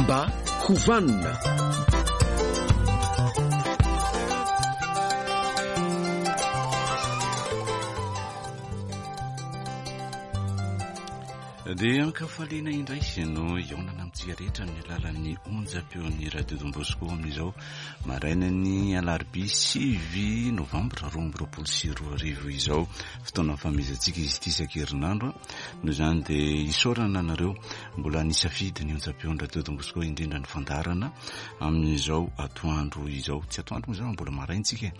Mba ho vanona. Dia ankafaliana indray no hihaonana amintsika rehetra amin'ny alalan'ny onjam-peon'ny Radio Don Bosco amin'izao marainan'ny alarobia 9 novambra 2022 izao. Fotoana famehezantsika izy ity isan-kerinandro. Noho izany dia isaorana anareo mbola nisafidy ny onjam-peon'ny Radio Don Bosco indrindra ny fandaharana amin'izao atoandro izao. Tsy atoandro moa izany fa mbola maraintsika e.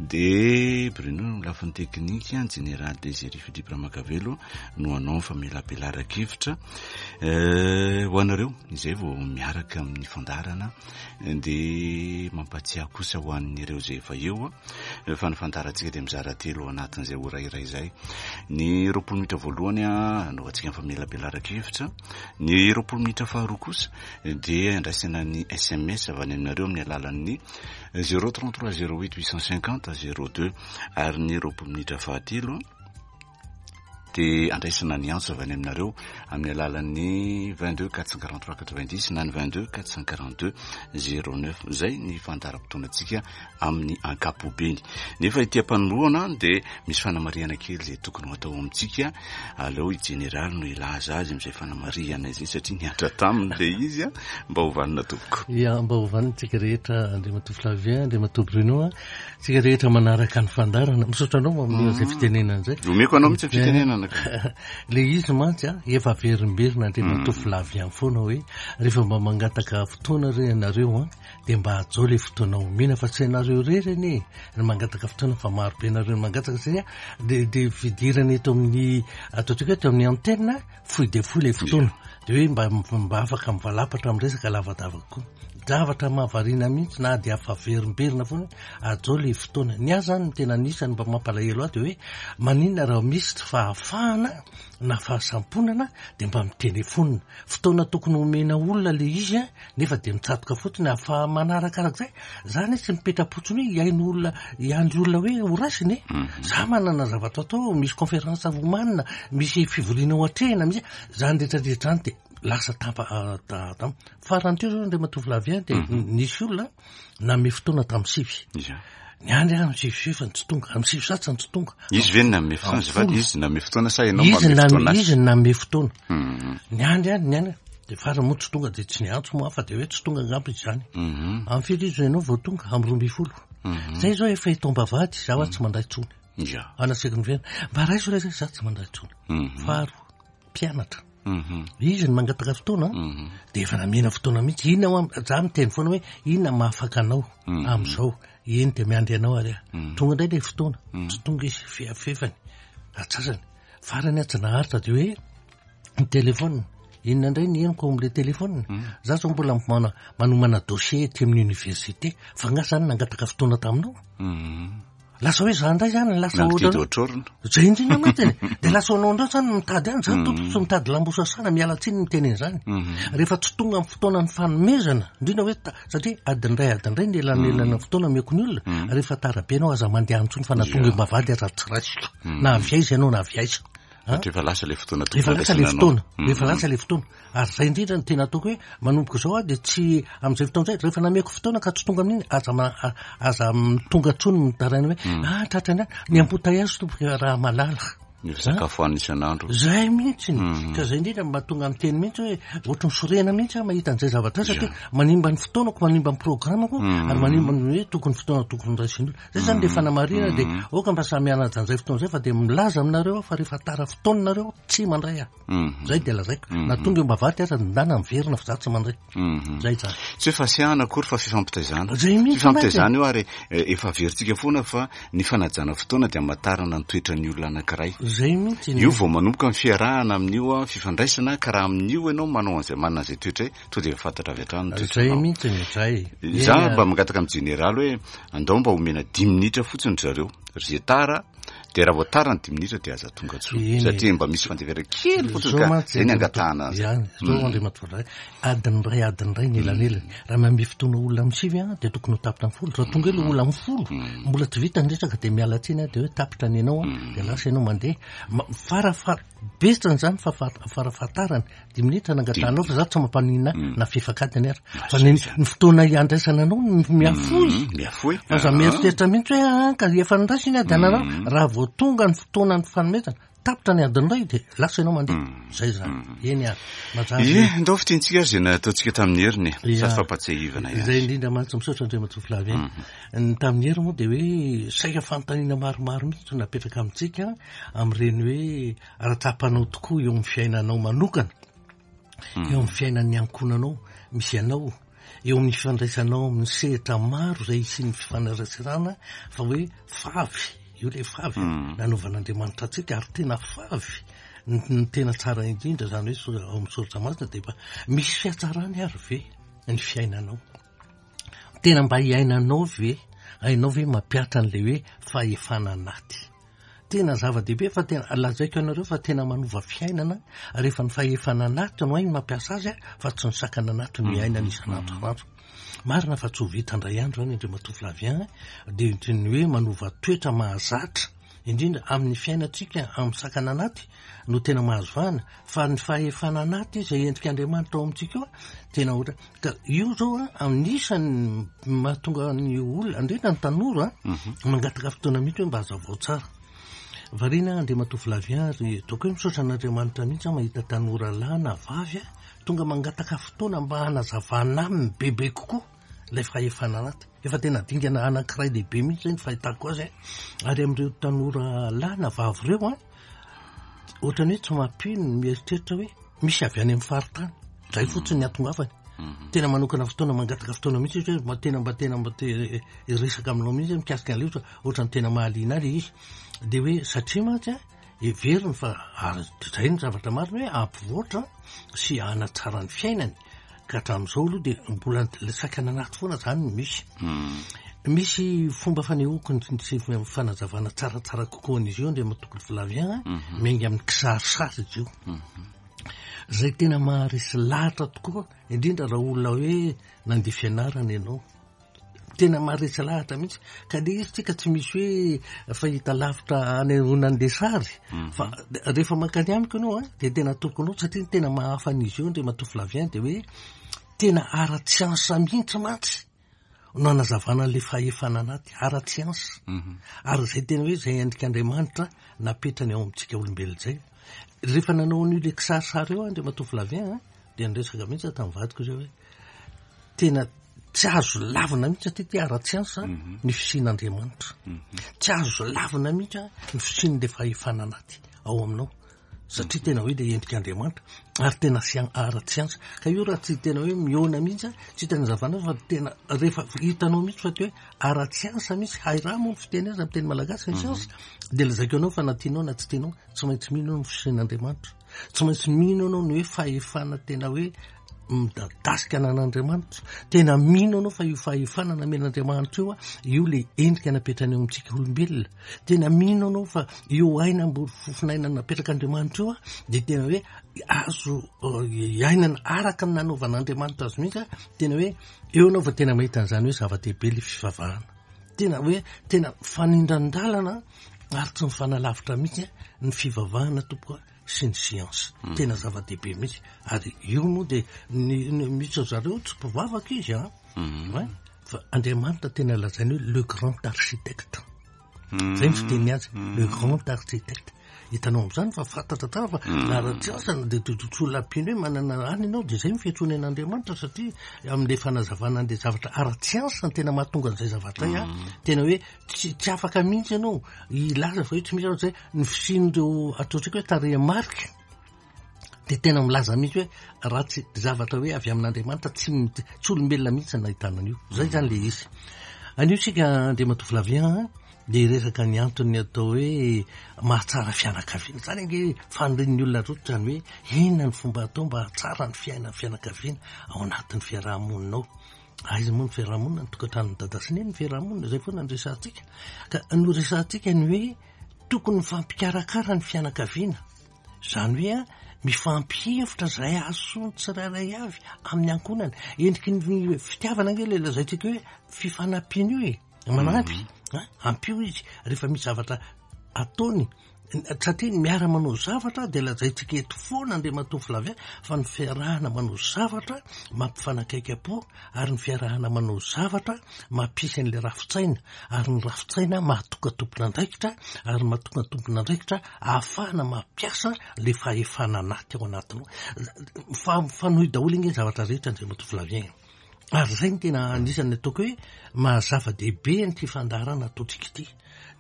Dia Bruno no lafiny teknika, ny Jeneraly Désiré Philippe Ramakavelo no hanao ny famelabelaran-kevitra eh, ho anareo izay vao miaraka amin'ny fandaharana dia mampatsiahy kosa ho an'ireo izay efa eo fa ny fandaharantsika dia mizara telo ao anatin'izay ora iray izay. Ny 20 minitra voalohany anaovantsika ny famelabelaran-kevitra, ny 20 minitra faharoa kosa dia andraisana ny sms avy any aminareo amin'ny alalan'ny 033 08 850 02 ary ny 20 minitra fahatelo dia andraisana ny antso avy any aminareo amin'ny alalan'ny 22 443 90 na ny 22 442 09. Izay ny fandaharam-potoanantsika amin'ny ankapobeny. Nefa ity am-panombohana dia misy fanamarihana kely izay tokony ho atao amintsika. Aleo i Jeneraly no hilaza azy amin'izay fanamarihana izay satria nihatra taminy ilay izy. Mba ho vanona tompoko. Ya, mba ho vanona tsika rehetra Andriamatoa Flavien, Andriamatoa Bruno. Tsika rehetra manaraka ny fandaharana. Misaotra anao amin'ny izay fitenenana izay. Omeko anao mihitsy ny fitenenana ka. Le izy mantsy a, efa averimberina Andriamatoa Flavien foana hoe rehefa mba mangataka fotoana re ianareo an, dia mba hajao le fotoana omena fa tsy ianareo irery anie no mangataka fotoana fa maro be nareo no mangataka satria dia dia fidirana eto amin'ny ataontsika hoe eto amin'ny antenne fohy dia fohy le fotoana dia hoe mba mba afaka mivalapatra amin'ny resaka lavadava kokoa. Zavatra mahavariana mihitsy na dia afaverimberina foana hajao le fotoana. Ny ahy zany no tena anisan'ny mba mampalahelo ahy dia hoe maninona raha misy tsy fahafahana na fahasamponana dia mba mitelefonina. Fotoana tokony homena olona le izy an, nefa dia mitsatoka fotsiny ahafaha manaraka arak'izay. Za anie tsy mipetra-potsiny hoe hihaino olona, hiandry olona hoe ho raisina e. Za manana zavatra atao, misy conférence homanina, misy fivoriana ho atrehina, misy zany rehetra rehetra zany dia lasa tampa tam. Farany teo zao Andriamatoa Flavien dia nisy olona nanome fotoana tamin'ny sivy. Niandry aho amin'ny sivy sy efany tsy tonga, amin'ny sivy sasany tsy tonga. Izy ve no nanome fotoana? Azafady, izy nanome fotoana sa ianao Izy manome fotoana azy? Izy no nanome fotoana. Niandry aho, niandry. Dia farany moa tsy tonga dia tsy niantso moa aho fa dia hoe tsy tonga angamba izy izany. Amin'ny firy izy ianao vao tonga? Amin'ny 12. Zay izao efa eto am-bavahady, izaho aho tsy mandray intsony. Anaseko ny fiainana. Mba raiso re zay, izaho tsy mandray intsony. Faharoa, mpianatra. Izy no mangataka fotoana dia efa namena fotoana mihitsy. Inona hoa, za miteny foana hoe inona mahafaka anao amin'izao. Eny dia miandry anao ary aho. Tonga indray ilay fotoana, tsy tonga izy, fefany, atsasany. Farany aho tsy naharitra dia hoe ny téléphone. Inona indray ny henoko ao amin'ilay téléphone? Za zao mbola manomana dossier aty amin'ny université. Fa nga zany nangataka fotoana taminao? Lasa hoe za indray zany lasa ohatr'orona. Zay indrindra mantsy e. Dia lasa anao indray zany mitady any, za tompoko tsy mitady lambo sasana, miala tsiny miteny an'izany. Rehefa tsy tonga amin'ny fotoana ny fanomezana, indrindra hoe satria adiny iray adiny iray ny elanelana fotoana omeko ny olona, rehefa tara be ianao aza mandeha any intsony fa na tonga eo am-bavahady aza tsy raisiko. Na avy aiza ianao na avy aiza. Satria efa lasa ilay fotoana tokony Efa lasa ilay fotoana, efa lasa ilay fotoana. Ary izay indrindra no tena ataoko hoe manomboka izao aho dia tsy amin'izay fotoana izay, rehefa nameko fotoana ka tsy tonga amin'iny, aza aza tonga intsony mitaraina hoe ah tratra ny ny embouteillage tompoko raha malala. Ny fisakafoanana isan'andro. Izay mihitsy. Ka izay indrindra no mahatonga miteny mihitsy hoe ohatry ny sorena mihitsy aho mahita an'izay zavatra izay satria manimba ny fotoanako, manimba ny programako ary manimba ny hoe tokony fotoana tokony raisin'ny olona. Zay zany le fanamarihana dia aoka mba samy hanaja an'izay fotoana izay fa dia milaza aminareo aho fa rehefa tara fotoana nareo tsy mandray aho. Zay dia lazaiko. Na tonga eo am-bavahady aza ndana miverina fa za tsy mandray. Zay zany. Tsy hoe fasiahana akory fa fifampitaizana. Zay mihitsy Fifampitaizana io ary efa averintsika foana fa ny fanajana fotoana dia hamantarana ny toetran'ny olona anankiray. Zay mihitsy. Io vao manomboka ny fiarahana amin'io fifandraisana ka raha amin'io ianao manao an'izay manana an'izay toetra izay tonga dia efa fantatra avy hatrany ny toetranao. Zay mihitsy, zay. Za mba mangataka amin'ny jeneraly hoe andao mba omena dimy minitra fotsiny ry zareo, ry Zetara. Dia raha vao tara ny dimy minitra dia aza tonga intsony satria mba misy fandeferana kely fotsiny ka izay ny angatahana azy. Ihany, zao mm. Andriamatoa Ray, adiny iray adiny iray ny elanelany. Raha manome fotoana olona amin'ny sivy an, dia tokony ho tapitra amin'ny folo. Raha tonga eo ilay olona amin'ny folo, mm. mbola tsy vita ny resaka dia miala tsiny aho dia hoe tapitra ny anao an, mm. dia lasa ianao mandeha. Fara betsany izany fa farafahatarany dimy minitra nangatahanao fa za tsy mampaninona mm. na fefakadiny ary fa ny ny fotoana iandraisana anao miafoy mm, miafoy aza ah. mieritreritra mihitsy hoe ah, ka efa niraisiny ady anareo mm. raha vao tonga ny fotoana ny fanomezana tapitra ny adiny iray dia lasa ianao mandeha zay zany eny ary mazava Ie, ndao fintintsika azy izay nataontsika tamin'ny heriny e. Sady fampatsiahivana ihany. Izay indrindra mantsy misaotra Andriamatoa Flavien. Ny tamin'ny hery moa dia hoe saika fanontaniana maromaro mihitsy no napetraka amintsika amin'ireny hoe Raha tsapanao tokoa eo amin'ny fiainanao manokana, eo amin'ny fiainan'ny ankohonanao misy anao, eo amin'ny fifandraisanao amin'ny sehatra maro izay hisian'ny fifaneraserana fa hoe favy, io ilay favy mm. nanaovan'Andriamanitra antsika ary tena favy ny tena tsara indrindra izany hoe ao amin'ny soratra masina dia efa misy fihatsarany ary ve ny fiainanao? Tena mba iainanao ve? Hainao ve mampihatra an'ilay hoe fahefana anaty? Tena zava-dehibe fa tena lazaiko anareo fa tena manova fiainana rehefa ny fahefana anaty no hainy mampiasa azy fa tsy ny sakana anaty no iainana isan'andro isan'andro. Marina fa tsy ho vita indray andro izany Andriamatoa Flavien dia toy ny hoe manova toetra mahazatra indrindra amin'ny fiainantsika amin'ny sakana anaty no tena mahazo vahana fa ny fahefana anaty izay endrik'Andriamanitra ao amintsika io tena ohatra Ka io zao a, anisan'ny mahatonga ny olona, indrindra ny tanora, mhm. mangataka fotoana mihitsy hoe mba hazavao tsara. Variana Andriamatoa Flavien ary ataoko hoe misaotra an'Andriamanitra mihitsy aho mahita tanora lahy na vavy a, tonga mangataka fotoana mba hanazavana aminy bebe kokoa ilay fahefana anaty. Efa tena dingana anankiray lehibe mihitsy zay ny fahitako azy a. Ary amin'ireo tanora lahy na vavy ireo a, ohatran'ny hoe tsy mampino ny mieritreritra hoe misy avy any amin'ny faritany zay fotsiny ny atongavany mhm. tena manokana fotoana mangataka fotoana mihitsy izy hoe mba tena mba tena mba te hiresaka aminao mihitsy mikasika an'ilay ohatra ohatran'ny tena mahaliana ahy izy de hoe satria mantsy a heveriny fa ary zay ny zavatra marina hoe hampivoatra sy hanatsara ny fiainany Ka hatramin'izao aloha dia mbola ilay sakana anaty foana izany no misy. Hmm. Misy fomba fanehoako ny fanazavana tsaratsara kokoa an'izy io Andriamatoa Flavien, mhm. miainga amin'ny kisarisary izy io. Mhm. Izay tena maharesy lahatra tokoa, indrindra raha olona hoe nandeha fianarana ianao. Tena maharesy lahatra mihitsy. Ka le izy tsika tsy misy hoe fahita lavitra anehoana an'le sary. Mhm. Fa rehefa mankany amiko ianao an, dia tena ataoko anao satria ny tena mahafa an'izy io Andriamatoa Flavien dia hoe tena ara-tsiansa mihitsy mantsy no anazavana an'le fahefana anaty, ara-tsiansa. Mhm. Ary izay tena hoe izay endrik'Andriamanitra napetrany ao amintsika olombelona izay. Rehefa nanao an'io le kisarisary io aho Andriamatoa Flavien an, dia niresaka mihitsy aho tamin'ny vadiko izay hoe tena tsy azo lavina mihitsy aty ty ara-tsiansa mhm. ny fisian'Andriamanitra. Mhm. Tsy azo lavina mihitsy ny fisian'ilay fahefana anaty ao aminao. Satria tena hoe ilay endrik'Andriamanitra ary tena ara-tsiansa. Ka io raha tsy tena hoe mihaona mihitsy, tsy tena zavana fa tena rehefa hitanao mihitsy fa ty hoe ara-tsiansa mihitsy, hay raha moa ny fiteny azy amin'ny teny malagasy ny mhm. siansa, dia lazaiko anao fa na tianao na tsy tianao, tsy maintsy mino ny fisian'Andriamanitra. Tsy maintsy mino anao ny hoe fahefana tena hoe midadasika anan'Andriamanitra. Tena mino anao fa io fahefana namen'Andriamanitra io, io le endrika napetrany eo amintsika olombelona. Tena mino anao fa io aina mbola fofon'aina napetrak'Andriamanitra io, dia tena hoe azo eh, iainana araka ny nanaovan'Andriamanitra azy mihitsy. Tena hoe eo anao fa tena mahita an'izany hoe zava-dehibe le fivavahana. Tena hoe tena fanindran-dalana ary tsy mifanalavitra mihitsy ny fivavahana tompoko sy ny siansa. Hmm. Tena zava-dehibe mihitsy. Ary io moa dia ny misy zareo tsy mpivavaka izy an. Hmm. Fa Andriamanitra tena lazainy hoe le grand architecte. Hmm. Zay ny fiteny azy, le grand architecte. Hitanao amin'izany fa fantatra tsara fa na ara-tsiansa na dia tsy olona mpino hoe manana any ianao dia izay ny fiantsoana an'Andriamanitra satria amin'ilay fanazavana an'ilay zavatra ara-tsiansa no tena mahatonga an'izay zavatra izay an. Tena hoe tsy tsy afaka mihitsy ianao hilaza fa hoe tsy misy afa-tsy hoe ny fisian'ireo ataontsika hoe tarehimarika dia tena milaza mihitsy hoe raha tsy zavatra hoe avy amin'Andriamanitra tsy tsy olombelona mihitsy no nahitana an'io. Zay zany le izy. Anio isika Andriamatoa Flavien dia hiresaka ny antony atao hoe mahatsara fianakaviana. Zany ange fanirian'ny olona rototra ny hoe inona ny fomba atao mba hahatsara ny fiainan'ny fianakaviana ao anatin'ny fiaraha-monina ao. Aiza moa ny fiarahamonina, ny tokantranon'i Dada sy Neny ny fiarahamonina, izay foana no resahantsika. Ka noresahantsika ny hoe. Tokony mifampikarakara ny fianakaviana, izany hoe mifampihevitra izay hahasoa ny tsirairay avy amin'ny ankohonana. Endriky ny fitiavana ange ilay lazaintsika hoe fifanampiana io e, manampy, ampio izy rehefa misy zavatra ataony. Satria ny miara-manao zavatra dia lazaintsika eto foana Andriamatoa Flavien fa ny fiarahana manao zavatra mampifanakaiky am-po ary ny fiarahana manao zavatra mampisy an'ilay rafi-tsaina ary ny rafi-tsaina mahatonga tompon'andraikitra ary mahatonga tompon'andraikitra ahafahana mampiasa ilay fahefana anaty ao anatinao. Fa mifanohy daholo ange ny zavatra rehetra Andriamatoa Flavien. Ary izay no tena anisan'ny ataoko hoe maha zava-dehibe an'ity fandaharana ataontsika ity.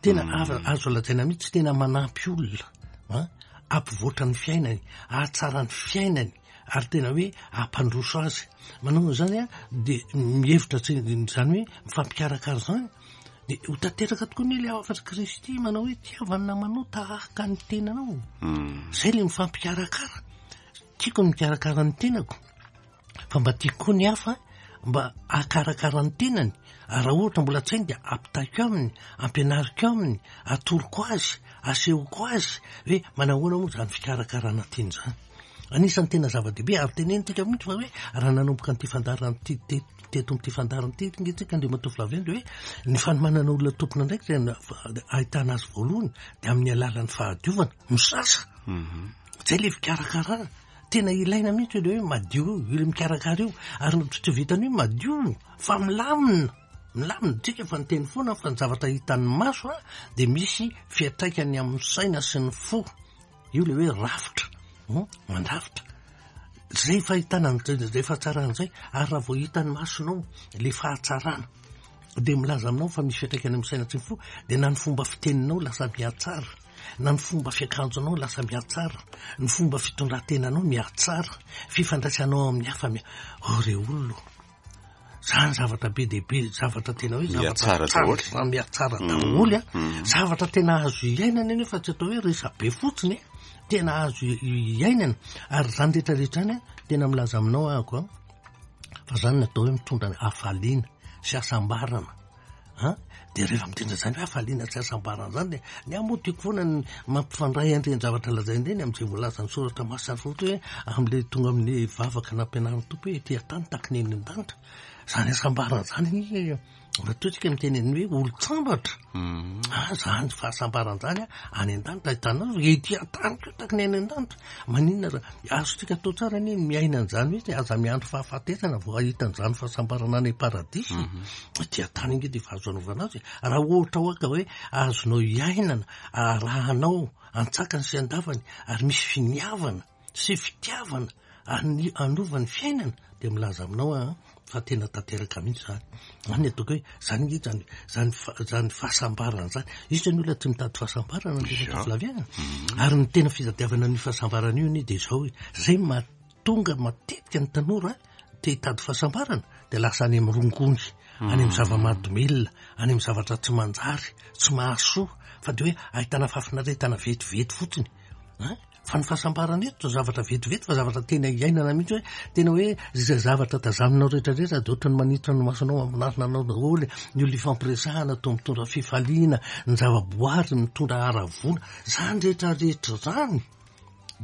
Tena azo lazaina mihitsy tena manampy olona an, hampivoatra ny fiainany, hahatsara ny fiainany ary tena hoe hampandroso azy. Manao an'izany an, dia mihevitra tsy izany hoe mifampikarakara izany, dia ho tanteraka tokoa anie ilay hafatr'i Kristy manao hoe tiava ny namanao tahaka ny tenanao. Izay ilay mifampikarakara. Tiako ny mikarakara ny tenako. Fa mba tiako koa ny hafa mba hahakarakara ny tenany, ary raha ohatra mbola tsy hainy dia ampitaiko aminy, ampianariko aminy, atoroko azy, asehoko azy hoe manahoana moa izany fikarakarana tena izany. Anisan'ny tena zava-dehibe ary tenenintsika mihitsy fa hoe raha nanomboka an'ity fandaharana ity teto amin'ity fandaharana ity ange tsika Andriamatoa Flavien dia hoe ny fanomanana olona tompon'andraikitra dia ahitana azy voalohany dia amin'ny alalan'ny fahadiovana, misasa. Izay ilay fikarakarana. Tena ilaina mihitsy ilay hoe madio io, ilay mikarakara io, ary tsy vitan'ny hoe madio fa milamina, milamina, tsika efa niteny foana fa ny zavatra hitan'ny maso a dia misy fiantraikany amin'ny saina sy ny fo, io ilay hoe rafitra, mandrafitra, zay fahitana an'izay fahatsarana izay, ary raha vao hitan'ny masonao ilay fahatsarana dia milaza aminao fa misy fiantraikany amin'ny saina sy ny fo, dia na ny fomba fiteninao lasa mihatsara. na ny fomba fiakanjonao lasa mihatsara, ny fomba fitondran-tenanao mihatsara, fifandraisanao amin'ny hafa miha, oh re olona ô! Zany zavatra be dia be, zavatra tena hoe zavatra tsara, mihatsara daholo a, zavatra tena azo iainana nefa tsy atao hoe resabe fotsiny e, tena azo iainana, ary zany rehetra rehetra zany a, tena milaza aminao ahako a, fa zany no atao hoe mitondra hafaliana sy hasambarana. An! Dia rehefa miteny an'izany hoe hafaliana sy hasambarana izany dia ny ahy moa tiako foana ny mampifandray an'ireny zavatra lazainy ireny amin'izay voalazan'ny soratra masina fotsiny hoe amin'ilay tonga amin'ny vavaka nampianarin'ny Tompo hoe ety an-tany tahaka ny eny an-danitra. Izany hasambarana izany anie matoa isika miteny ny hoe olon-tsambatra. Ah, izany fahasambarana izany any an-danitra ahitanao ety an-tany koa tahaka ny any an-danitra. Maninona raha azontsika atao tsara anie ny miaina an'izany mihitsy, aza miandry fahafatesana vao hahita an'izany fahasambarana any am-paradisa. Aty an-tany ange dia efa azo anaovana azy e. Raha ohatra hoa ka hoe azonao iainana, arahanao an-tsakany sy an-davany ary misy finiavana sy fitiavana hanova ny fiainana dia milaza aminao aho fa tena tanteraka mihitsy izany. Izany ny ataoko hoe izany ange izany izany izany fahasambarana izany. Iza ny olona tsy mitady fahasambarana Andriamatoa Flavien? Ary ny tena fitadiavana an'io fahasambarana io anie dia izao hoe izay mahatonga matetika ny tanora te hitady fahasambarana dia lasa any amin'ny rongony, any amin'ny zava-mahadomelina, any amin'ny zavatra tsy manjary, tsy mahasoa, fa dia hoe ahitana fahafinaretana vetivety fotsiny. Hein? Fa ny fahasambarana eto tsy zavatra vetivety fa zavatra tena iainana mihitsy hoe tena hoe izay zavatra tazaninao rehetra rehetra dia ohatran'ny manitra ny masonao mampinarina anao daholo, ny olona ifampiresahana toa mitondra fifaliana, ny zava-boary mitondra haravoana, izany rehetra rehetra izany.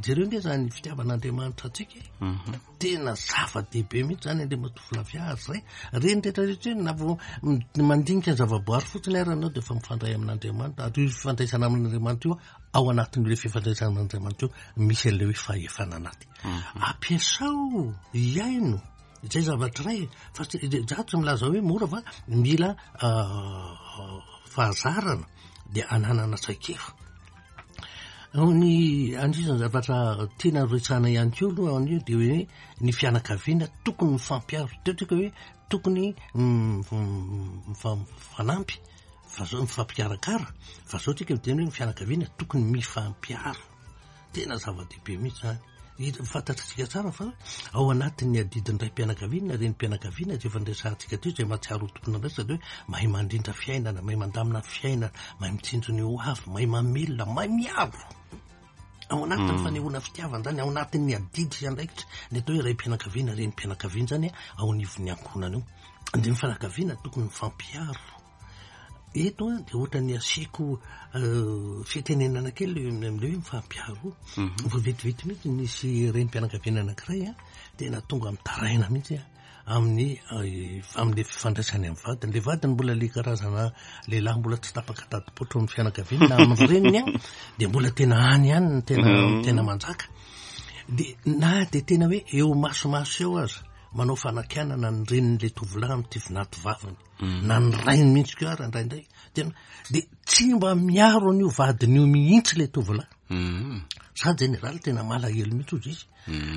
Jereo nge zany fitiavan'Andriamanitra antsika e. Mhm. Tena zava-dehibe mihitsy zany Andriamatoa Flavia ary zay. Reny rehetra rehetra eny na vao mandinika ny zava-boary fotsiny ary ianao dia efa mifandray amin'Andriamanitra. Ary io fifandraisana amin'Andriamanitra io ao anatin'ilay fifandraisana amin'Andriamanitra io misy an'ilay hoe fahefana anaty. Mhm. Ampiasao, iaino izay zavatra iray fa tsy za tsy milaza hoe mora fa mila ah, fahazarana dia ananana traikefa. Ny anisan'ny zavatra tiana resahana ihany koa aloha anio dia hoe ny fianakaviana tokony mifampiaro. Teo tsika hoe tokony mifanampy fa zao mifampikarakara fa zao tsika miteny hoe ny fianakaviana tokony mifampiaro. Tena zava-dehibe mihitsy zany. Fantatr'tsika tsara fa ao anatin'ny adidin'ny raim-pianakaviana na renim-pianakaviana izay efa niresahantsika teo izay mahatsiaro ho tompon'andraikitra dia hoe mahay mandrindra fiainana, mahay mandamina fiainana, mahay mitsinjo ny ho avy, mahay mamelona, mahay miaro. Ao anatin'ny hmm. fanehoana fitiavana izany, ao anatin'ny adidy sy andraikitra ny atao hoe raim-pianakaviana, renim-pianakaviana izany ao anivon'ny ankohonana io. Dia ny fianakaviana tokony mifampiaro. Eto an, dia ohatran'ny asiako fitenenana kely amin'ilay hoe mifampiaro. Vao vetivety mihitsy nisy renim-pianakaviana anankiray an, tena tonga mitaraina mihitsy an, amin'ny amin'ilay fifandraisany amin'ny vadiny. Ilay vadiny mbola ilay karazana lehilahy mbola tsy tapaka tadi-poitra amin'ny fianakaviany na amin'ny reniny an, dia mbola tena any ihany ny tena tena manjaka. Dia na dia tena hoe eo imasomaso eo aza, manao fanakianana ny renin'ilay tovolahy amin'ity vinatovaviny. Na ny rainy mihitsy koa ary indraindray. Tena, dia tsy mba miaro an'io vadiny io mihitsy ilay tovolahy. Za jeneraly tena malahelo mihitsy hozy izy.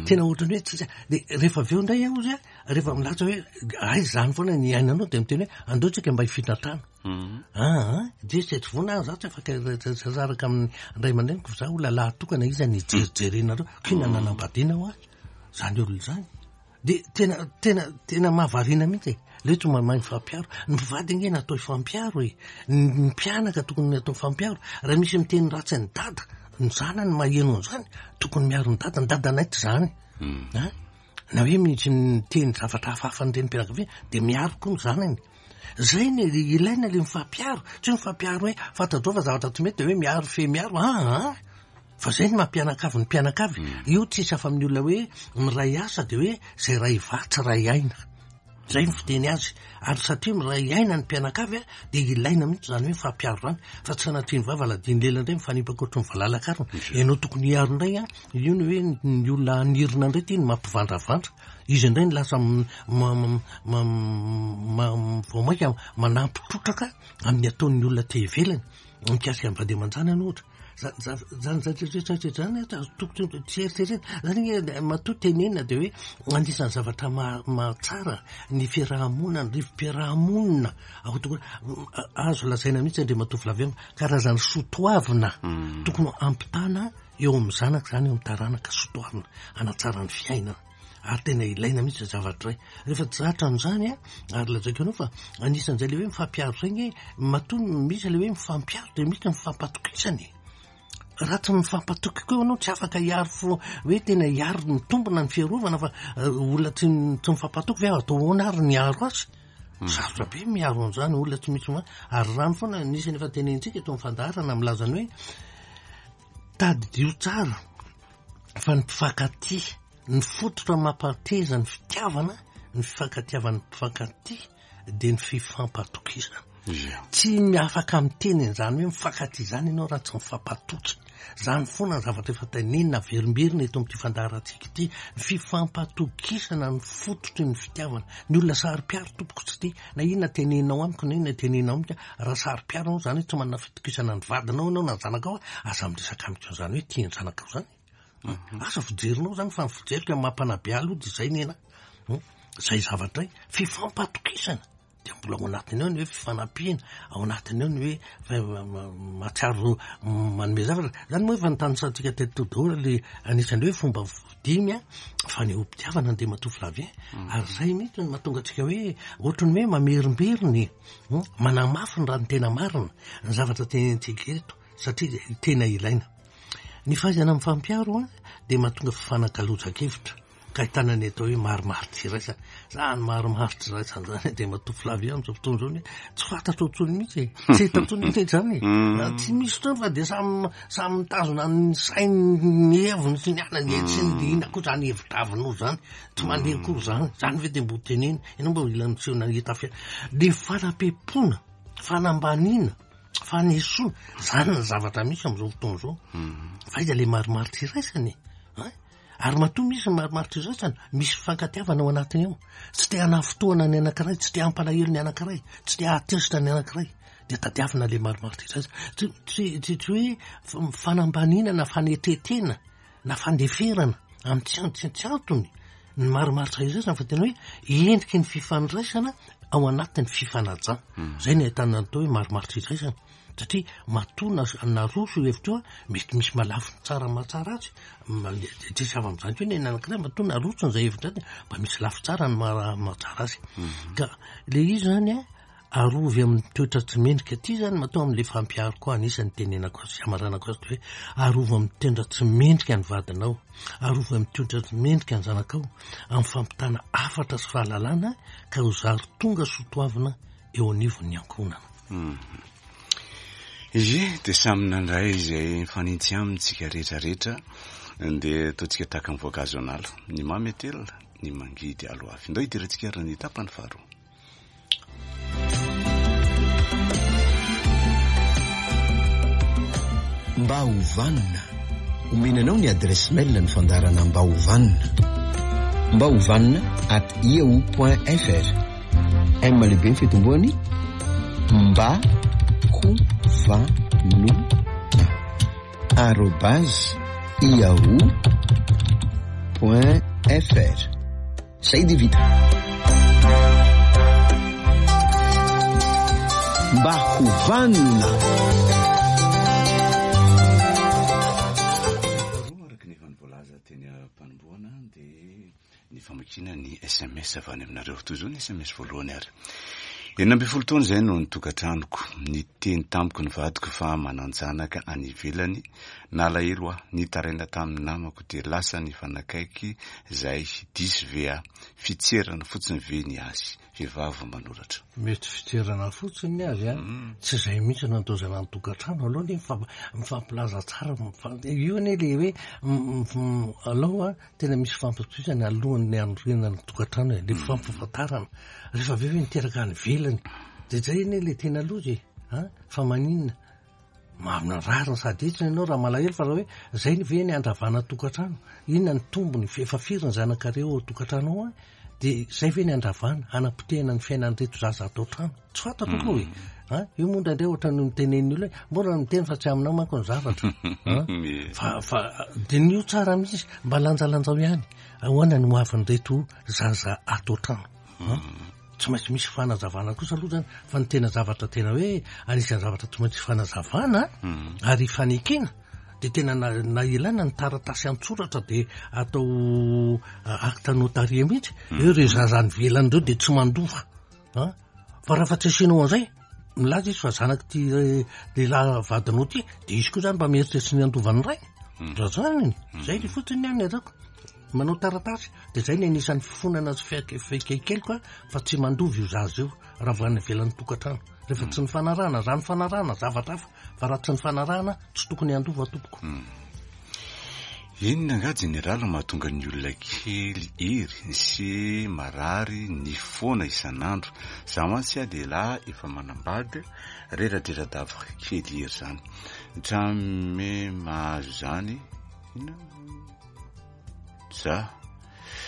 Tena ohatran'ny hoe tsisy, dia rehefa avy eo indray aho hozy a, rehefa milaza hoe aiza izany foana ny iainanao dia miteny hoe andao tsika mba hifindra trano. Aa, dia tsy tsy vonona aho, za tsy afaka hisaraka amin'ny ray aman-dreniko fa za olona lahy tokana, iza no hijerijerenareo, k'inona nanambadiana ho ahy izany olona izany. Dia tena, tena, tena mahavariana mihitsy e. Ilay hoe tsy mahay mifampiaro. Ny mpivady ange natao hifampiaro e. Ny mpianaka tokony natao hifampiaro. Raha misy miteny ratsy an'i dada, ny zanany maheno an'izany, tokony miaro ny dada. Ny dadanay tsy izany. An? Na hoe misy miteny zavatra hafahafa ny renim-pianakaviana, dia miaro koa ny zanany. Izay no ilaina ilay mifampiaro. Tsy hoe mifampiaro hoe fantatrao fa zavatra tsy mety dia hoe miaro fe miaro. An! Fa zay ny maha mpianakavy ny mpianakavy. Io tsisy hafa amin'ny olona hoe miray asa dia hoe zay ray vatsy ray aina. Zay ny fiteny azy. Ary satria miray aina ny mpianakavy dia ilaina mihitsy izany hoe mifampiaro izany. Fa tsy sanatria ny vava aladian'ny lela indray mifanipaka ohatry ny valala-karona. Ianao tokony hiaro indray an, io ny hoe ny olona hanirina indray ity no mampivandravandra. Izy indray no lasa vao mainka manampy trotraka amin'ny ataon'ny olona aty ivelany. Mikasika ny vady aman-janany ohatra. Zany zavatra rehetra rehetra zany a, azo tokony tsy eritreretina. Zany ange matoa tenenina dia hoe anisan'ny zavatra mahatsara ny fiaraha-monina, ny rivo-piaraha-monina ao tokony azo lazaina mihitsy Andriamatoa Flavien karazana soatoavina tokony hampitana eo amin'ny zanaka izany, eo amin'ny taranaka soatoavina hanatsara ny fiainana. Ary tena ilaina mihitsy izay zavatra izay. Rehefa tsy zatra an'izany an, ary lazaiko anao fa anisan'izay ilay hoe mifampiaro izay ange, matoa misy ilay hoe mifampiaro dia misy ny fifampatokisana e. Raha tsy mifampatoky koa ianao tsy afaka hiaro fo hoe tena hiaro mitombina ny fiarovana fa olona tsy tsy mifampatoky ve atao ahoana ary ny hiaro azy? Sarotra be miaro an'izany olona tsy misy ary rano foana anisan'ny efa tenenitsika eto amin'ny fandaharana milaza ny hoe tadidio tsara fa ny mpifankatia, ny fototra mampateza ny fitiavana, ny fifankatiavan'ny mpifankatia dia ny fifampatokisana. Tsy afaka miteny an'izany hoe mifankatia izany ianao raha tsy mifampatoky. Izany foana ny zavatra efa tenenina averimberina eto amin'ity fandaharantsika ity. Ny fifampatokisana ny fototry ny fitiavana. Ny olona saro-piaro tompoko tsy tia. Na inona teneninao amiko na inona teneninao amiko, raha saro-piaro ianao izany hoe tsy manana fitokisana ny vadinao ianao na ny zanakao, aza miresaka amiko an'izany hoe tia ny zanakao izany. Asa fijerinao izany fa ny fijeriko amin'ny maha mpanabe ahy aloha dia izay ny anahy. Izay zavatra izay. Fifampatokisana. Dia mbola ao anatiny ao ny hoe fifanampiana, ao anatiny ao ny hoe mahatsiaro manome zavatra. Izany moa efa notanisantsika teto daholo ilay anisan'ny hoe fomba dimy an, fanehoam-pitiavana Andriamatoa Flavien. Ary izay mihitsy no mahatonga antsika hoe ohatran'ny hoe mamerimberina e, manamafy ny raha ny tena marina ny zavatra tenenintsika eto satria tena ilaina. Ny fahaizana mifampiaro an, dia mahatonga fifanakalozan-kevitra. Ka ahitana ny atao hoe marimaritra iraisana. Zany marimaritra iraisana zany Andriamatoa Flavien amin'izao fotoana izao ny tsy fantatro intsony mihitsy e. Tsy hita intsony mihitsy izany e. Tsy misy intsony fa dia samy samy mitazona ny sainy ny heviny sy ny anany e. Tsy ny inona koa izany hevi-dravinao izany. Tsy mandeha akory izany. Izany ve dia mbo teneno. Ianao mba mila miseho nahita fiainana. Dia fanampiam-pona, fanambaniana, fanesoana. Izany ny zavatra misy amin'izao fotoana izao. Fa aiza ilay marimaritra iraisana e? Hein? Ary matoa misy ny marimaritra iraisana, misy fifankatiavana ao anatiny ao. Tsy te hanafintohina ny anankiray, tsy te hampalahelo ny anankiray, tsy te hahatezitra ny anankiray. Dia tadiavina ilay marimaritra iraisana. Tsy, tsy, tsy, tsy hoe fanambaniana na fanetretena na fandeferana amin'ny tsy an-, tsy, tsy antony ny marimaritra iraisana fa tena hoe endriky ny fifandraisana ao anatin'ny fifanajana. Izay no ahitana ny atao hoe marimaritra iraisana. Satria matoa naroso io hevitra io, mety misy mahalafiny tsara mahatsara azy, tsisy hafa amin'izany koa ny anankiray, matoa naroso izay hevitra izay, mba misy lafy tsara ny mahatsara azy. Ka le izy izany an, arovy amin'ny toetra tsy mendrika aty izany, matoa amin'ilay fampiaro koa anisan'ny tenenako azy sy hamaranako azy hoe arovy amin'ny toetra tsy mendrika ny vadinao, arovy amin'ny toetra tsy mendrika ny zanakao, amin'ny fampitana hafatra sy fahalalana ka ho zary tonga soa toavina eo anivon'ny ankohonana. Ie, dia samy nandray izay mifanintsy aminy tsika rehetra rehetra, dia ataontsika tahaka ny voankazo an'ala, ny mamy atelina, ny mangidy aloavy. Ndao hidirantsika ary ny tapany faharoa. Mba ho vanona. Omena anao ny adresse mail ny fandaharana Mba ho vanona. Mba ho vanona at yahoo point fr. M lehibe ny fitomboany mba ho vanona arobase yahoo point fr. Zay dia vita. Mba ho vanona. Araka ny efa nivoalaza teny am-panombohana dia ny famakiana ny sms avy any aminareo. Toy izao ny sms voalohany ary. 16 taona izay no nitokantranoko. Niteny tamiko ny vadiko fa manan-janaka any ivelany. Nalahelo aho. Nitaraina tamin'ny namako dia lasa nifanakaiky Zay, diso ve aho? Fitserana fotsiny ve ny azy? Vehivavy vao manoratra. Mety fitserana fotsiny ny azy an, tsy izay mihitsy no andaozana ny tokantrano, aleo anie mifampilaza tsara, io anie le hoe alao an, tena misy fifampitokisana alohan'ny hanorenana ny tokantrano e, le fifampahafantarana, rehefa avy eo ve niteraka any ivelany, de zay anie le tena loza e, an, fa maninona? Marina rariny sady hitsiny ianao raha malahelo fa raha hoe zay ny ve ny handravana tokantrano? Inona ny tombony? Efa firy ny zanakareo ao tokantrano ao an? Dia zay ve ny handravana, hanapotehana ny fiainan'ireto zaza ato an-trano? Tsy fantatro aloha e. An? Io moa indraindray ohatran'ny mitenen'ny olona hoe mbola miteny fa tsy aminao manko ny zavatra. An? Fa fa diniho tsara mihitsy, mba lanjalanjao ihany. Ahoana ny hoavin'ireto zaza ato an-trano? An? Tsy maintsy misy fanazavana kosa aloha zany fa ny tena zavatra tena hoe anisan'ny zavatra tsy maintsy fanazavana ary ifanekena de tena na na ilaina ny taratasy an-tsoratra de atao acte notarié mihitsy eo ireo zaza any ivelany ireo de tsy mandova an, fa raha fa tsy asianao an'izay milaza izy fa zanak'ity lehilahy vadinao ity de izy koa zany mba mieritreritra ny handova ny rainy raha zany zay le fotsiny ny any ataoko. Manao taratasy dia zay ny anisan'ny fifonana sy fiaikaikeliko fa tsy mandova io zaza io raha vao any ivelan'ny tokantrano. Rehefa tsy nifanarahana, raha nifanarahana zavatra hafa fa raha tsy nifanarahana tsy tokony handova tompoko. Inona angaha jeneraly no mahatonga ny olona kely hery sy marary nify foana isan'andro? Za mantsy a lehilahy efa manambady, reradrera-dava kely hery zany. Hatramin'ny mahazo zany, inona? Za,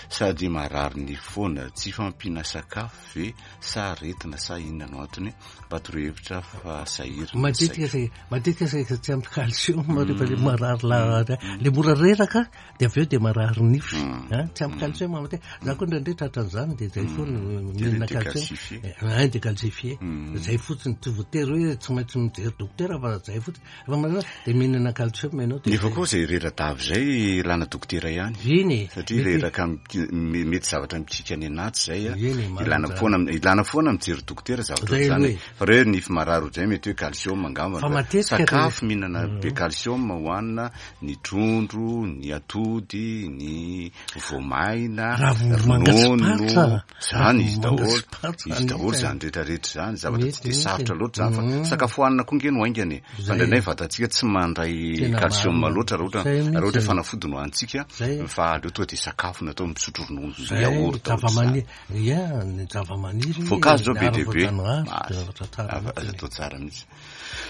sady marary nify foana, tsy fampiana sakafo ve sa aretina sa inona no antony, mba torohevitra fa sahirana ny Matetika saiko. Matetika saika tsy ampy calcium rehefa le marary la le mora reraka de avy eo de marary nify an, tsy ampy calcium matetika, za koa indraindray tratran'izany de zay foana mihinana calcium, ein décalcifié, zay fotsiny tsy voatery hoe tsy maintsy mijery dokotera fa zay fotsiny. Efa manana dia mihinana calcium ianao dia Nefa koa izay rera-dava izay ilana dokotera ihany. Eny e. Satria reraka mety zavatra mikiky any anaty izay a. Eny e, marina Ilana izany. foana ilana foana mijery dokotera zavatra Zay ohatr'izany. aloha e. Fa raha hoe nify marary ohatr'izay mety hoe calcium angamba. Fa matetika rehefa Sakafo mihinana be calcium hohanina, ny trondro, ny atody, ny voamaina, Ravim-bomanga sy ronono, patsa. zany izy Ravim-bomanga daholo, sy patsa izy daholo mihitsy. zany rehetra rehetra zany, zavatra tsy Mety dia mihitsy. sarotra loatra zany fa sakafo hohanina koa nge no haingana e, fa Zay. indraindray vatantsika tsy mandray Tena calcium marina. loatra raha ohatra Zay raha ohatra hoe mihitsy. fanafody no hanintsika Zay. fa aleo tonga dia sakafo no atao misotro ronono, Zay, yaourt ohatr'izany. zavamaniry, ia, ny zavamaniry, Voankazo zao ny be dia be, ara-voajanahary, Aza zavatra tsara mihitsy. aza atao tsara mihitsy.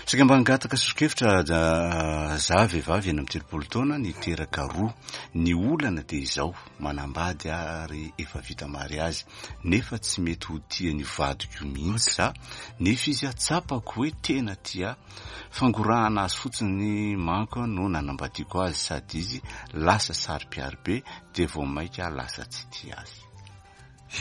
Saika mba hangataka sosokevitra za vehivavy 36 taona niteraka roa. Ny olana dia izao, manambady ary efa vita mariazy nefa tsy mety ho tia ny vadiko mihitsy za, nefa izy tsapako hoe tena tia ahy. Fangorahana azy fotsiny manko no nanambadiako azy sady izy lasa saro-piaro be dia vao maika lasa tsy tia azy.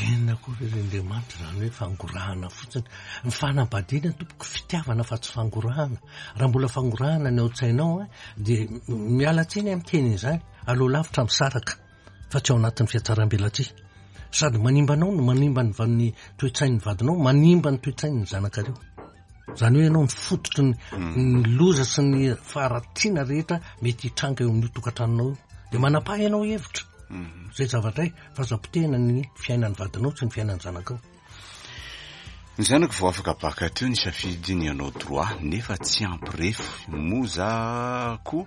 Inona koa re ry Andriamanitra izany hoe fangorahana fotsiny? Ny fanambadiana tompoko fitiavana fa tsy fangorahana. Raha mbola fangorahana ny ao an-tsainao an, dia miala tsiny aho miteny an'izany, aleo lavitra misaraka fa tsy ao anatin'ny fihatsaram-belatsihy. Sady manimba anao no manimba ny ny toe-tsain'ny vadinao, manimba ny toe-tsain'ny zanakareo. Izany hoe ianao ny fototry ny ny loza sy ny faharatsiana rehetra mety hitranga eo amin'io tokantranonao io. Dia manapaha ianao hevitra. Izay zavatra izay. Fa aza potehina ny fiainan'ny vadinao sy ny fiainan'ny zanakao. Ny zanako vao afaka bacc teo nisafidy ny hanao droit nefa tsy ampy refy moa za koa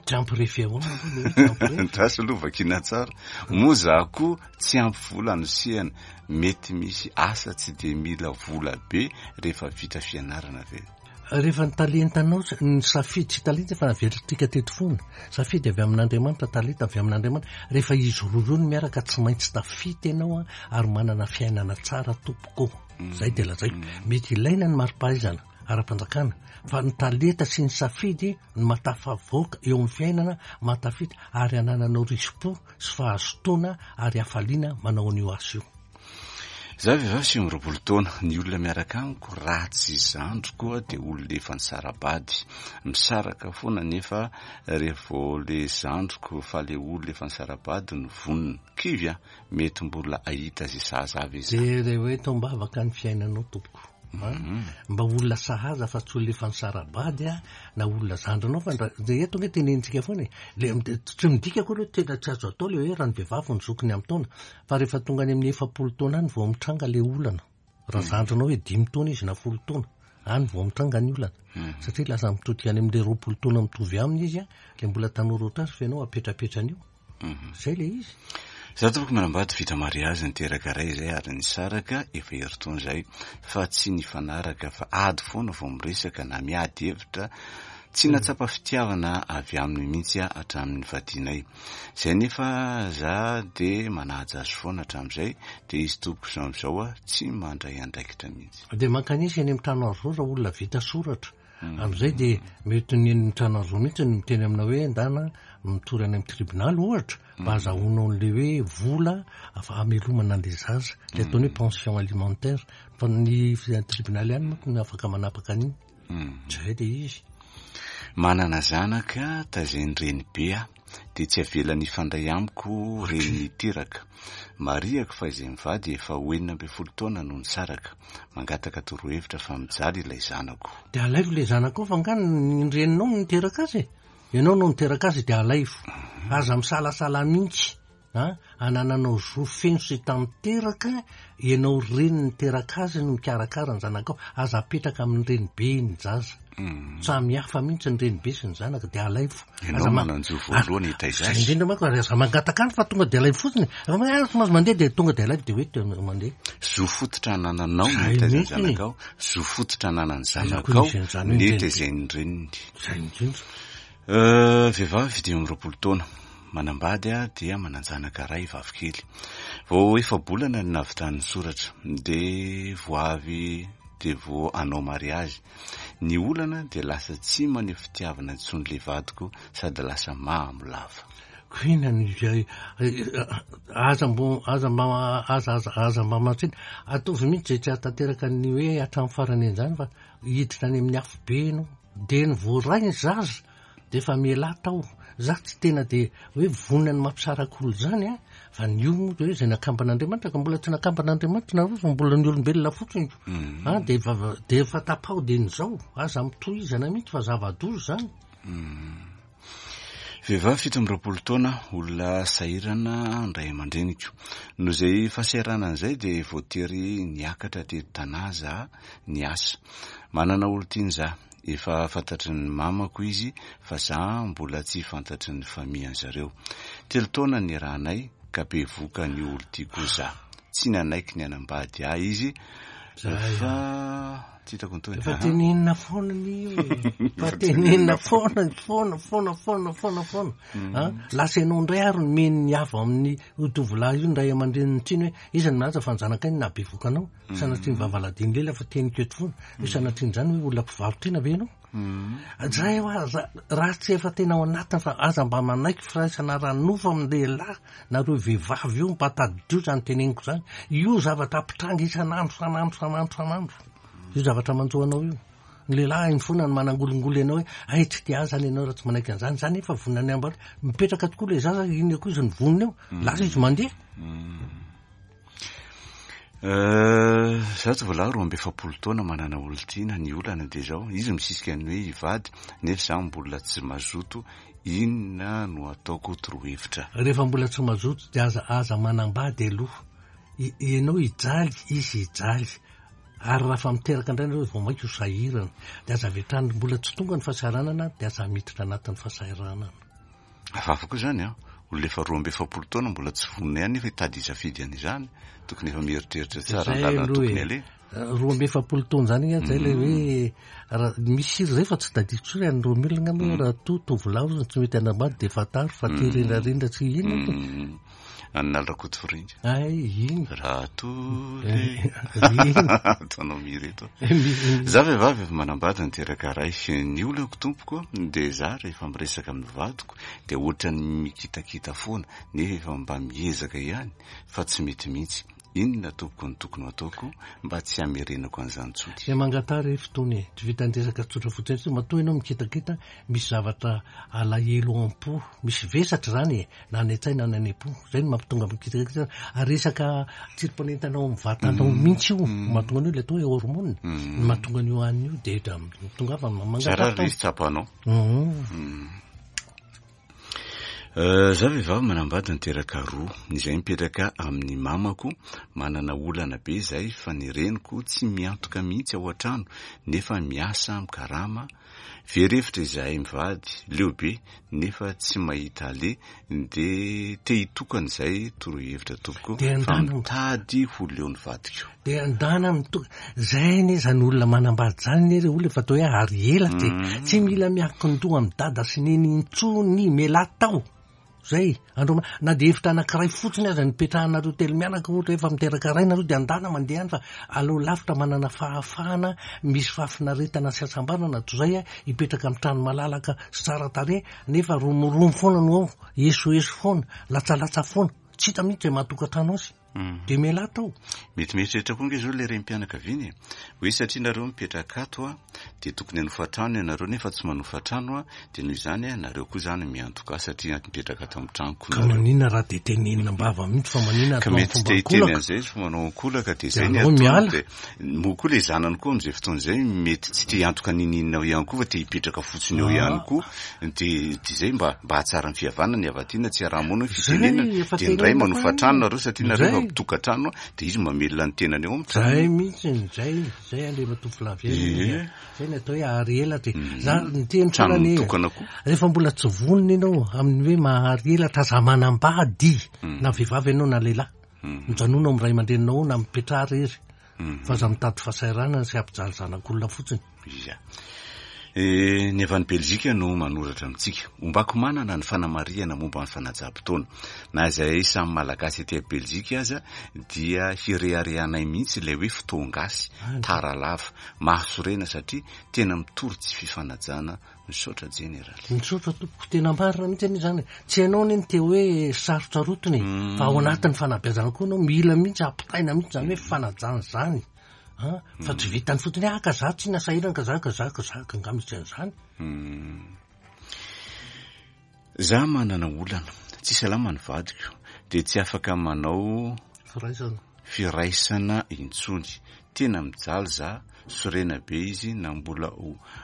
Tsy ampy refy ahoana aloha le hoe tsy ampy refy? Andraso aloha vakiana tsara. Moa za koa tsy ampy vola anosehana. Mety misy asa tsy dia mila vola be rehefa vita fianarana ve? Rehefa ny talentanao, ny safidy tsy talenta fa naverintsika teto foana. Safidy avy amin'Andriamanitra, talenta avy amin'Andriamanitra. Rehefa izy roa ireo no miaraka tsy maintsy tafita ianao ary manana fiainana tsara tompoko. Izay dia lazaiko. Mety ilaina ny mari-pahaizana ara-panjakana fa ny talenta sy ny safidy no mahatafavoaka eo amin'ny fiainana, mahatafita ary anananao risi-po sy fahazotoana ary hafaliana manao an'io asa io. Za vehivavy 29 taona, ny olona miaraka amiko raha tsy zandriko aho dia olona efa nisara-bady, misaraka foana nefa revo le zandriko fa le olona efa nisara-bady no vonona, kivy aho, mety mbola ahita ze sahaza ahy ve za? Dia le hoe tombavaka ny fiainanao tompoko a, mba olona sahaza fa tsy olona efa nisara-bady a, na olona zandrinao fa ndra, dia eto ange tenenintsika foana e, le tsy midika akory hoe tena tsy azo atao le hoe raha ny vehivavy ny zokiny amin'ny taona, Fa rehefa tonga any amin'ny 40 taona any vao mitranga ilay olana. Raha hmm. zandrinao hoe dimy taona izy na folo taona, any vao mitranga ny olana. Hmm. Satria lasa mitodika any amin'ilay 20 taona mitovy aminy izy, ilay mbola tanora ohatr'azy fa ianao apetrapetrany io. Hmm. Izay ilay izy. Za tompoko manambady vita mariazy niteraka ray izay ary nisaraka efa herintaona izay fa tsy nifanaraka fa ady foana vao miresaka na miady hevitra tsy natsapa fitiavana avy aminy mihitsy aho hatramin'ny nivadianay. Zay nefa za de manaja azy foana hatramin'izay de izy tompoko izao amin'izao a tsy mandray andraikitra mihitsy. De mankanesa eny amin'ny trano hazo raha olona vita soratra. Amin'izay de mety ny eny amin'ny trano hazo mihitsy no miteny aminao hoe ndana mitory any amin'ny tribonaly ohatra mba azahoanao an'le hoe vola hamelomana an'le zaza, le ataony hoe pension alimentaire. Fa ny tribonaly ihany manko no afaka manapaka an'iny. Zay le izy. Manana zanaka tazain'ny renibe aho, dia tsy avelany hifandray amiko reny niteraka. Marihako fa izay mivady efa ho 16 taona no nisaraka. Mangataka torohevitra fa mijaly ilay zanako. Dia alaivo ilay zanakao fa angaha ny reninao no niteraka azy e? Ianao no niteraka azy dia alaivo. Aza misalasala mihitsy. A, anananao zo feno sy tanteraka, ianao reny niteraka azy no mikarakara ny zanakao, aza apetraka amin'ny renibe ny zaza. Mm. Samy hafa mihitsy ny renibe sy ny zanaka, dia alaivo. Ianao manan-jo voalohany hitaiza azy. Indrindra manko, ary aza mangataka any fa tonga dia alaivo fotsiny. Raha hoe ah, tsy mahazo mandeha dia tonga dia alaivo dia hoe tena mandeha. Zo fototra anananao ny hitaiza ny zanakao, zo fototra ananan'ny zanakao ny tezain'ny reniny. Izay indrindra. Vehivavy 25 taona, manambady dia manan-janaka iray vavikely. Vao efa-bolana no nahavitany ny soratra, dia vao avy dia vao hanao mariazy. Ny olana dia lasa tsy maneho fitiavana intsony ilay vadiko sady lasa mamo lava. Ko inona no izay aza mbo aza mba aza aza aza mba matsiny ataovy mihitsy izay tsy hahatanteraka ny hoe hatramin'ny farany an'izany fa hiditra any amin'ny afobe ianao. Dia ny voaray ny zaza dia efa mialà tao. Za tsy tena dia hoe vonona ny mampisaraka olona izany an, fa ny io moa dia hoe izay nakamban'Andriamanitra ka mbola tsy nakamban'Andriamanitra nareo fa mbola ny olombelona fotsiny. Mm. Ah, dia efa dia efa tapaho dia ny zao, aza mitohizana mihitsy fa zava-doza izany. Mm. Vehivavy 27 taona, olona sahirana ny ray aman-dreniko. Noho izay fahasahiranana izay dia voatery niakatra teto Tanà za niasa. Manana olon-tiana za. Efa fantatry ny mamako izy fa za mbola tsy fantatry ny famille an-zareo. Telo taona niarahanay ka bevoka an'io olon-tiako io za. Tsy nanaiky ny hanambady ahy izy fa tsy hitako ny tohiny. Efa tenenina foana ny io e. Efa tenenina foana, foana, foana, foana, foana, foana. Ah, lasa ianao indray ary nomeny ny avo amin'ny io tovolahy io ny ray aman-dreniny tsiny hoe iza no milaza fa ny zanakay no nahabevoka anao. Sanatria ny vavaladin'ny lela fa teniko eto foana. Hoe sanatria an'izany hoe olona mpivaro-tena ve ianao? Zay hoa, raha tsy efa tena ao anatiny fa aza mba manaiky firaisana ara-nofo amin'ny lehilahy nareo vehivavy io, mba tadidio izany teneniko izany. Io zavatra mpitranga isan'andro, isan'andro, isan'andro, isan'andro. Io zavatra manjo anao io. Ny lehilahy hainy foana ny manangolingoly anao hoe ay tsy tia ahy izany ianao raha tsy manaiky an'izany. Izany efa vonona ny hambatra. Mipetraka tokoa ilay zaza, inona koa izy ny vonona eo. Lasa izy mandeha. Za tovolahy 42 taona manana olon-tiana, ny olana dia izao, izy misisika ny hoe hivady nefa za mbola tsy mazoto, inona no ataoko torohevitra? Rehefa mbola tsy mazoto dia aza aza manambady aloha. Ianao hijaly, izy hijaly. Ary raha fa miteraka indray nareo vao mainka ho sahirana. Dia aza avy hatrany, mbola tsy tonga ny fahasahiranana dia aza miditra anatin'ny fahasahiranana. Hafahafa koa izany an! Olona efa 42 taona mbola tsy vonona ihany nefa hitady hisafidy an'izany. Tokony efa mieritreritra tsara ny Zay lalana aloha tokony e. aleha. 42 taona izany angaha zay ilay hoe raha misy hira izay fa tsy tadidiko intsony any Romule angamba hoe raha toa tovolahy ozy no tsy mety hanambady dia fantaro fa te rendrarendra tsy inona e. An'i Naly Rakotofiringa. Ay, iny. Raha toa le Iny. ataonao mihira eto. Za vehivavy efa manambady niteraka ray. Ny olako tompoko dia za rehefa miresaka amin'ny vadiko dia ohatran'ny mikitakita foana nefa efa mba miezaka ihany fa tsy mety mihitsy. Inona tompoko no tokony ho ataoko mba tsy hamerenako an'izany intsony? Dia mangataha re fotoana e. Tsy vitan'ny resaka tsotra fotsiny intsony. Matoa ianao mikitakita, misy zavatra alahelo ao am-po, misy vesatra izany e, na any an-tsaina na any am-po. Izay no mampitonga mikitakita. Ary resaka tsirim-panentana ao amin'ny vatanao mihitsy io, mahatonga an'io ilay atao hoe hormone, no mahatonga an'io an'io dia tongava Zara mangataha ary izy tsapanao. Za vehivavy manambady niteraka roa, izay mipetraka amin'ny mamako, manana olana be izay fa ny reniko tsy miantoka mihitsy ao an-trano nefa miasa mikarama, very hevitra izahay mivady, leo be nefa tsy mahita aleha de te hitokana izay, torohevitra tompoko fa mitady ho leo ny vadiko. Dia andana mitoka. Zay anie zany olona manambady zany anie re olona efa atao hoe ary elatra e. Tsy mila miankin-doha amin'i dada sy neny intsony, mialà tao. Zay. Andro na dia hevitra anankiray fotsiny aza nipetrahanareo telo mianaka ohatra hoe efa miteraka ray nareo dia andana mandeha any fa aleo lavitra manana fahafahana misy fahafinaretana sy hasambarana toy izay hipetraka amin'ny trano malalaka sy tsara tarehy nefa romoromo foana no ao, esoeso foana, latsalatsa foana. Tsy hita mihitsy izay maha-tokantrano azy. Dia mialà tao. Mety mieritreritra koa ange izao ilay renim-pianakaviana e! Hoe satria nareo mipetraka ato an, dia tokony hanofa trano ianareo nefa tsy manofa trano an, dia noho izany an, nareo koa izany miantoka ahy satria mipetraka ato amin'ny tranoko Ka nareo. maninona raha dia tenenina am-bava mihitsy fa maninona Ka atao mety amin'ny tsy te fomba hiteny ankolaka? an'izay izy fa manao ankolaka dia Dia izay ny aleo ataony miala. dia moa koa ilay zanany koa amin'izay fotoana izay mety tsy te hiantoka n'inon'inona ao ihany koa fa te hipetraka fotsiny ao ihany koa Dia izay mba mba hahatsara ny fihavanana ny havatiana tsy araha-moana ny fitenenana. Zay, efa Dia ny ray tenenina manofa foana. trano nareo satria nareo efa Zay. mpitokantrano dia izy mamelona ny tenany ao amin'ny trano. Zay mihitsy, zay, zay Andriamatoa Flavien. Ie. Zay ny atao hoe ahary elatra e. Za niteny Trano foana anie. mitokana koa. Rehefa mbola tsy vonona ianao amin'ny hoe mahary elatra aza manambady na vehivavy ianao na lehilahy. Mijanona ao amin'ny ray aman-dreninao ao na mipetraha irery. Fa aza mitady fahasahiranana sy hampijaly zanak'olona fotsiny. Ia. Eh, ny avy any Belzika no manoratra amintsika. Ombako manana ny fanamarihana momba ny fanajam-potoana. Na izahay samy Malagasy aty Belzika aza dia hireharehanay mihitsy ilay hoe fotoan-gasy, tara lava. Mahasorena satria tena mitory tsy fifanajana. Misaotra Jeneraly. Misaotra tompoko, tena marina mihitsy anie izany e. Tsy ianao anie no te hoe sarotsarotiny e, fa ao anatin'ny fanabeazana koa ianao mila mihitsy ampitaina mihitsy izany hoe fanajana izany. An, fa tsy vitan'ny fotsiny hoe ah ka za tsy nasahirana ka za ka za ka za ka angamba tsy an'izany. Za manana olana, tsy salama ny vadiko dia tsy afaka manao Firaisana. firaisana intsony, tena mijaly za, sorena be izy na mbola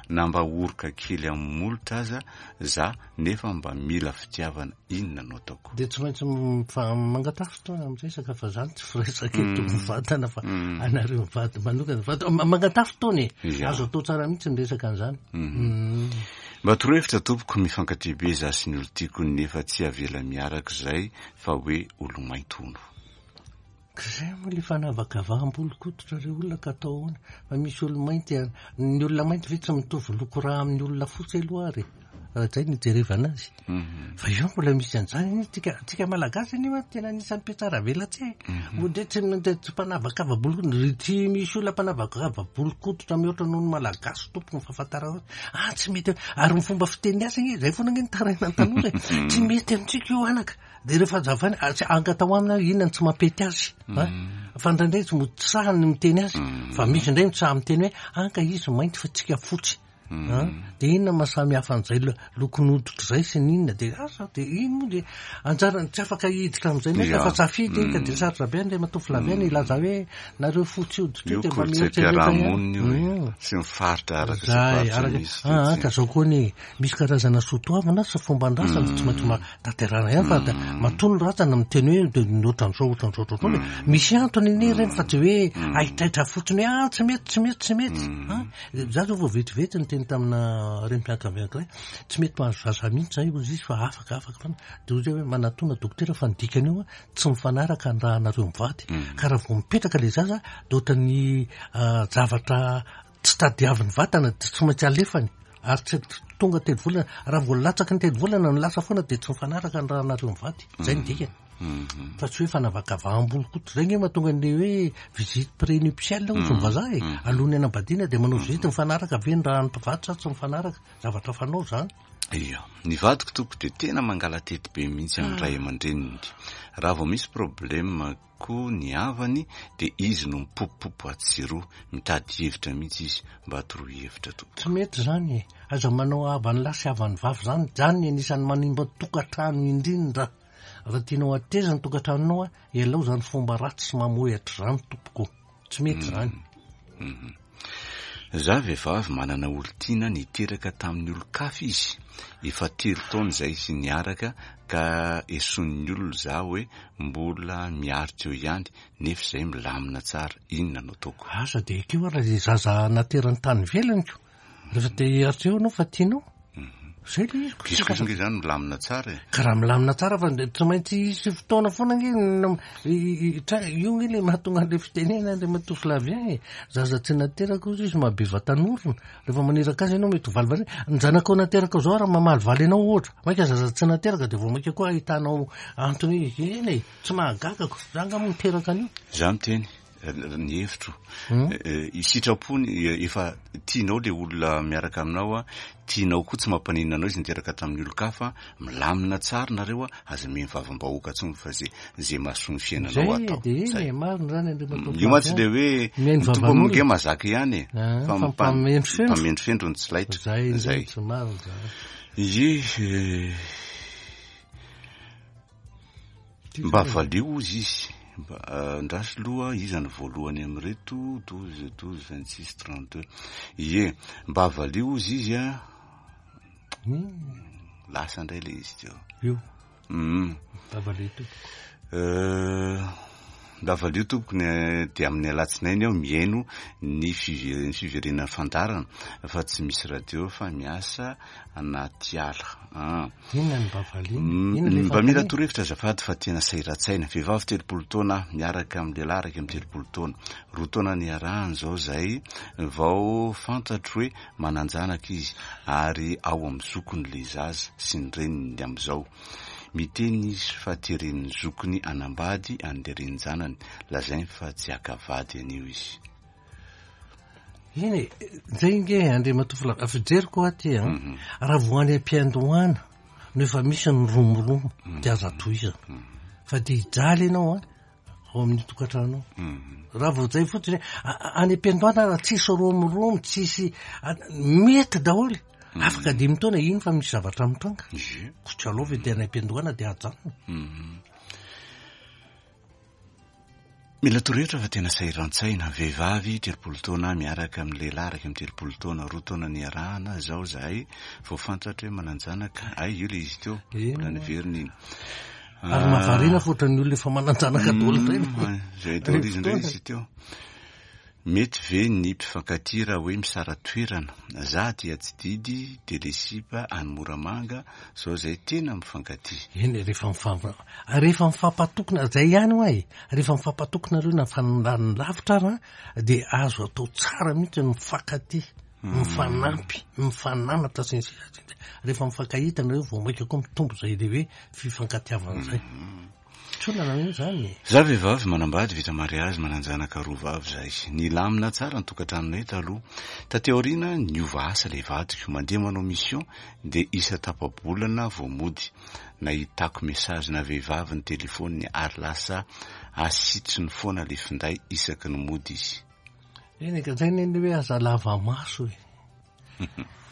na mba oroka kely amin'ny molotra aza za nefa mba mila fitiavana, inona no ataoko? Dia tsy maintsy mangataha fotoana miresaka fa zany tsy firesaka eto mivantana fa anareo mivady manokana fa mangataha fotoana e, azo atao tsara mihitsy ny resaka an'izany. Mba torohevitra tompoko, mifankatia be za sy ny olon-tiako nefa tsy avela miaraka izay fa hoe olo-mainty hono. Ka zay moa le fanavakavaham-bolon-koditra re olona ka atao ahoana? Fa misy olo-mainty a, ny olona mainty ve tsy mitovy loko rà amin'ny olona fotsy aloha ary e? Raha zay no ijerevana azy. Fa io mbola misy an'izany anie tsika, tsika malagasy anie hoa tena anisan'ny mpihatsaravelatsihy e. Moa ndray tsy tsy mpanavakava-bolon-koditra, tsy misy olona mpanavakava-bolon-koditra mihoatra noho ny malagasy tompoko ny fahafantarana azy. Ah tsy mety, ary ny fomba fiteny azy anie, zay foana anie ny tarainan'ny tanora e. Tsy mety amintsika io anaka. Dia rehefa hazavaina, ah, tsy angataho aminy aho inona no tsy mampety azy. Ah, fa indraindray tsy mody sahy ny miteny azy, fa misy indray mitsaha miteny hoe anka izy mainty fa tsika fotsy. An, dia inona maha samy hafa an'izay lokon'hoditra izay sy ny inona dia asa dia iny moa dia anjarany tsy afaka hiditra amin'izay mihitsy fa safidy iny ka dia sarotra be Andriamatoa Flavien ny hilaza hoe nareo fotsy hoditra io Io dia mba mieritrereta ihany. kolontsaim-piarahamonina io e, sy ny faritra araka izay Zay, faritra araka misy ah, dia ka tsy zao koa anie misy karazana soatoavina sy fomban-drazana tsy maintsy ma- tanterahina ihany fa da matoa ny razana miteny hoe dia ny ohatran'izao ohatran'izao ohatran'izao dia misy antony anie ireny fa tsy hoe haitraitra fotsiny hoe ah tsy mety tsy mety tsy mety ah Za zao vao vetivety niteny tamina renim-pianakaviana anankiray, tsy mety mahazo zaza mihitsy zay hozy izy fa afaka afaka foana, de hoy zay hoe manatona dokotera fa ny dikan'io an tsy mifanaraka ny rahanareo mivady, ka raha vao mipetraka le zaza de ohatran'ny zavatra tsy tadiavin'ny vatana de tsy maintsy alefany ary tsy tonga telo volana, raha vao latsaky ny telo volana no lasa foana de tsy mifanaraka ny rahanareo mivady, zay ny dikany. Fa tsy hoe fanavakavaham-bolon-koditra. Izay ange mahatonga an'ilay hoe visite prénuptiale hozy ny vazaha e. Alohan'ny hanambadiana dia manao visite mifanaraka ve ny raha ny mpivady sa tsy mifanaraka. Zavatra fanao izany. Ia. Ny vadiko tompoko dia tena mangala-tety be mihitsy amin'ny ray aman-dreniny. Raha vao misy problème koa ny havany dia izy no mipopopopo atsy sy eroa. Mitady hevitra mihitsy izy. Mba toroy hevitra tompoko. Tsy mety izany e. Aza manao havan'ny lahy sy havan'ny vavy izany. Izany ny anisan'ny manimba tokantrano indrindra. Raha tianao hateza ny tokantranonao a, ialao izany fomba ratsy sy mamohehatra izany tompoko. Tsy mety izany. Za vehivavy manana olon-tiana niteraka tamin'ny olon-kafa izy, efa telo taona izay izy niaraka ka esoin'ny olona za hoe mbola miaritra eo ihany nefa izay milamina tsara, inona no ataoko? Aza dia ekeo ary ilay zaza naterany tany ivelany ko. Rehefa te hiaritra eo ianao fa tianao. Zay le izy. Izy kosa ange zany milamina tsara e. Ka raha milamina tsara fa tsy maintsy hisy fotoana foana ange io ange le mahatonga an'le fitenena Andriamatoa Flavien e. Zaza tsy nateraka hozy izy mahabe vatan'orona. Rehefa maniraka azy ianao mety ho valivalina. Ny zanakao nateraka zao raha mamalivaly anao ohatra. Mainka zaza tsy nateraka dia vao mainka koa ahitanao antony hoe eny e, tsy mahagaga ko. Za angaha moa niteraka an'io. Za miteny. Ny hevitro, sitrapony efa tianao le olona miaraka aminao a, tianao koa tsy mampaninona anao izy niteraka tamin'ny olon-kafa, milamina tsara nareo a, aza mihaino vavam-bahoaka intsony fa ze ze mahasoa ny fiainanao atao. Zay e, marina zany Andriamatoa Io mantsy le hoe Mihaino ny tompo vavan'olona. ange mahazaka ihany e, Ah, fa fa mpamendrofendro. mpamendrofendro no tsy laitra. Zay Zay. mihitsy, marina zany. Ie, Mba valio ozy izy. Mba andraso loha iza no voalohany amin'ireto 12 12 26 32. Ie, mba valio ozy izy a. Lasa indray le izy teo. Io. Mba valio tompoko. Mba valio tompoko ny dia amin'ny alatsinainy aho mihaino ny fiverenan'ny fandaharana fa tsy misy radio fa miasa anaty ala. Ah. Inona no mba valiana? Inona ilay Mba mila fanontaniana? torohevitra azafady fa tena sahiran-tsaina. Vehivavy 30 taona aho, miaraka amin'ny lehilahy 31 taona. Roa taona niarahana izao izahay vao fantatro hoe manan-janaka izy ary ao amin'ny zokiny ilay zaza sy ny reniny amin'izao. Miteny izy fa teren'ny zokiny hanambady an'ilay renin-janany. Lazainy fa tsy haka vady an'io izy. Eny e, zay nge Andriamatoa Filoha, fijeriko aty an, raha vao any am-piandohana no efa misy ny romoromo dia aza tohizana. Fa dia hijaly ianao an, ao amin'ny tokantrano ao. Raha vao zay fotsiny, any am-piandohana raha tsisy romoromo, tsisy, mety daholo. Afaka dimy taona iny fa misy zavatra mitranga. Koa tsy aleo ve dia any am-piandohana dia ajanona. Mila torohevitra fa tena sahiran-tsaina. Vehivavy 30 taona miaraka amin'ny lehilahy 31 taona, roa taona niarahana izao izahay vao fantatra hoe manan-janaka. Hay io ilay izy teo, mbola niverina iny. Ary mahavariana fa ohatran'ny olona efa manan-janaka daholo indray. Izay daholo izy indray izy teo. Mety ve ny mpifankatia raha hoe misara-toerana? Za aty Atsididy de le sipa any Moramanga zao zay tena mifankatia. Eny e, rehefa mifamp-, rehefa mifampatoky, zay ihany hoa e, rehefa mifampatoky nareo na mifanandany lavitra ara dia azo atao tsara mihitsy ny mifankatia, mifanampy, mifananatra sy ny sisa sy ny sisa. Rehefa mifankahita nareo vao mainka koa mitombo zay le hoe fifankatiavana zay. Tsy olana anie izany e. Za vehivavy manambady vita mariazy manan-janaka roa vavy zay. Nilamina tsara ny tokantranonay taloha. Taty aoriana niova asa le vadiko, mandeha manao mission de isa-tapa-bolana vao mody. Nahitako message na vehivavy ny telephone-ny ary lasa asitriny foana le finday isaky ny mody izy. Eny e, ka zay anie le hoe aza lava maso e.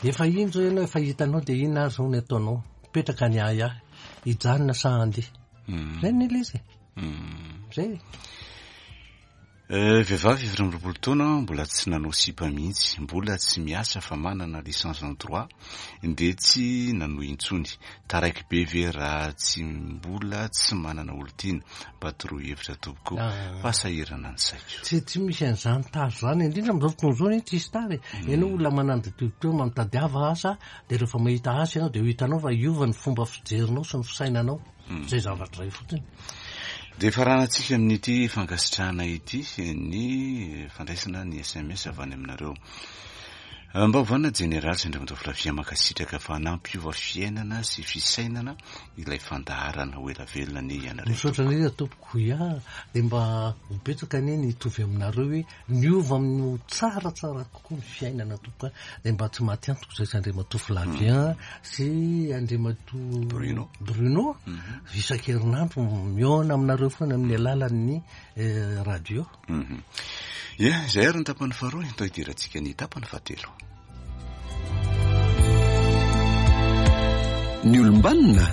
Efa iny zao ianao efa hitanao dia inona ary zao ny ataonao? Mipetraka ny ahiahy, hijanona sa handeha? Zay ny ilay izy e. Zay e. Vehivavy 24 taona mbola tsy nanao sipa mihitsy, mbola tsy miasa fa manana licence en droit dia tsy nanohy intsony. Taraiky be ve raha tsy mbola tsy manana olon-tiana? Mba toroy hevitra tompoko fa sahirana ny saiko. Tsy tsy misy an'izany tara izany, indrindra amin'izao fotoana izao anie tsisy tara e. Ianao olona manana mitadiava asa dia rehefa mahita asa ianao dia ho hitanao fa hiova ny fomba fijerinao sy ny fisainanao. Izay zavatra izay fotsiny. Dia faranantsika amin'ity fankasitrahana ity ny fandraisana ny sms avy any aminareo. Mba hovanina Jeneraly sy Andriamatoa Flavien mankasitraka fa nampiova fiainana sy fisainana ilay fandaharana. Ho ela velona anie ianareo Misaotra tompoko. indrindra tompoko. Ya, dia mba ho betsaka anie ny hitovy aminareo hoe niova amin'ny ho tsaratsara kokoa ny fiainana tompoko a. Dia mba tsy maty antoka izay sy Andriamatoa Flavien sy Andriamatoa Bruno. Bruno isan-kerinandro mihaona aminareo foana amin'ny alalan'ny radio. Ia, izay ary ny tapany faharoa, atao hidirantsika ny tapany fahatelo. Ny olom-banona,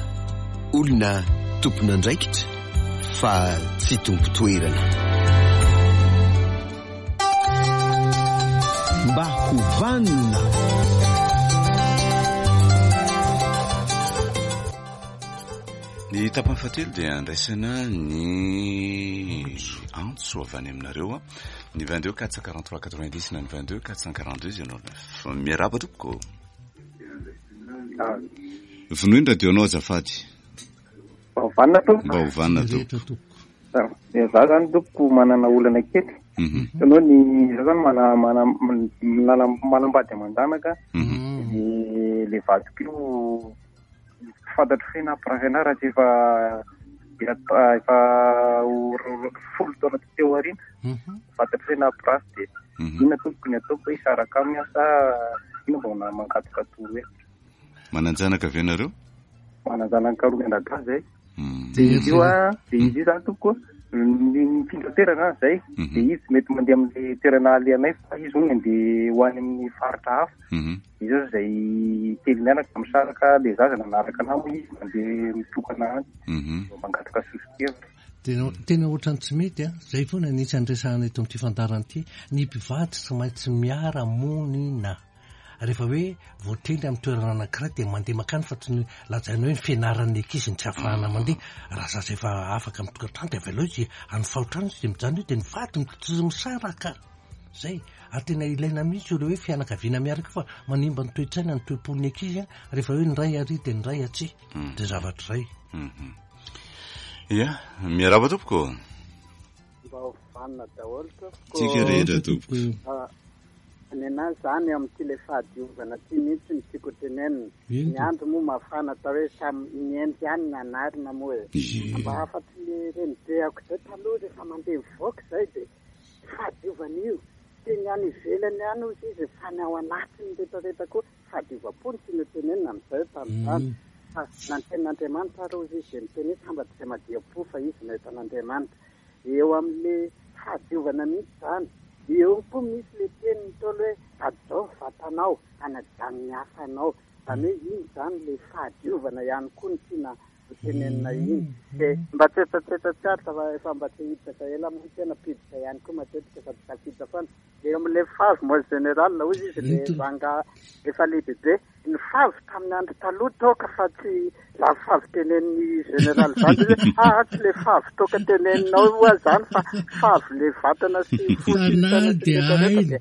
olona tompon'andraikitra fa tsy tompon-toerana. Mba ho vanona. Ny tapany fahatelo dia andraisana ny antso avy any aminareo ny 22 443 90 na ny 22 442 09. Miarahaba tompoko. Vonoy ny radio-nao azafady. Mba ho vanona tompoko. Mba ho vanona tompoko. Za zany tompoko manana olana kely. Hitanao ny za zany mana mana manambady aman-janaka. Le vadiko io Tsy fantatro hoe nampirafy anah raha tsy efa efa folo taona taty aoriana. Fantatro hoe nampirafy dia inona tompoko ny ataoko hoe hisaraka aminy aho sa inona mba mangataka torohevitra. Manan-janaka ve nareo? Manan-janaka roa mianadahy zay. Dia izy io a, dia izy io zany tompoko nifindra toerana zany zay. Dia izy tsy mety mandeha amin'ilay toerana alehanay fa izy hono andeha ho any amin'ny faritra hafa. Izy io zay telo mianaka misaraka le zaza nanaraka anah moa izy mandeha mitokana any. Mba mangataka soso-kevitra. Tena tena ohatran'ny tsy mety an! Zay foana ny isan'ny resahana eto amin'ity fandaharana ity, ny mpivady tsy maintsy miara-monina. Rehefa hoe voatendry amin'ny toerana anankiray dia mandeha mankany fa tsy ny lazaina hoe ny fianaran'ny ankizy no tsy ahafahana mandeha. Raha zaza efa afaka amin'ny tokantrano dia avelao izy any fahotrano izy dia mijanona eo dia ny vady no tsy misaraka. Zay. Ary tena ilaina mihitsy io le hoe fianakaviana miaraka io fa manimba ny toe-tsaina ny toe-pon'ny ankizy an, rehefa hoe ny ray ary dia ny ray atsy. Dia zavatra izay. Ya, miarahaba tompoko. Mba ho vanona daholo tompoko. Tsika rehetra tompoko. Nenah zany amin'ity le fahadiovana ty mihitsy no tiako tenenina. Ny andro moa mafana atao hoe samy mihenjy ihany ny anarina moa e. Mba hafatry ny renibeako zay taloha rehefa mandeha mivoaka zay de fahadiovana io. Tsy ny any ivelany ihany hozy izy fa ny ao anatiny retraretra koa fahadiovam-po no tiany ho tenenina amin'izay tamin'izany. Fa na ny tenin'Andriamanitra ary hozy izy dia miteny hoe sambatra izay madio am-po fa izy no ahita an'Andriamanitra. Eo amin'le fahadiovana mihitsy izany. Eo koa misy le tenin'ny Ntaolo hoe hajao ny vatanao, hanajany ny hafa anao. Izany hoe iny izany le fahadiovana ihany koa no tiana ho tenenina iny. Dia mba tsetsatsetsa tsy aritra fa efa mba te hiditra ela moa ny tena mpiditra ihany koa matetika fa tsy tafiditra foana. Eo amin'ilay favy moa général hozy izy le rangahy efa lehibebe. Ny favy tamin'ny andro taloha toaka fa tsy zany favy tenenin'ny général zany hoe ah tsy le favy toaka teneninao oa zany fa favy le vatana sy fo sy saina sy rehetra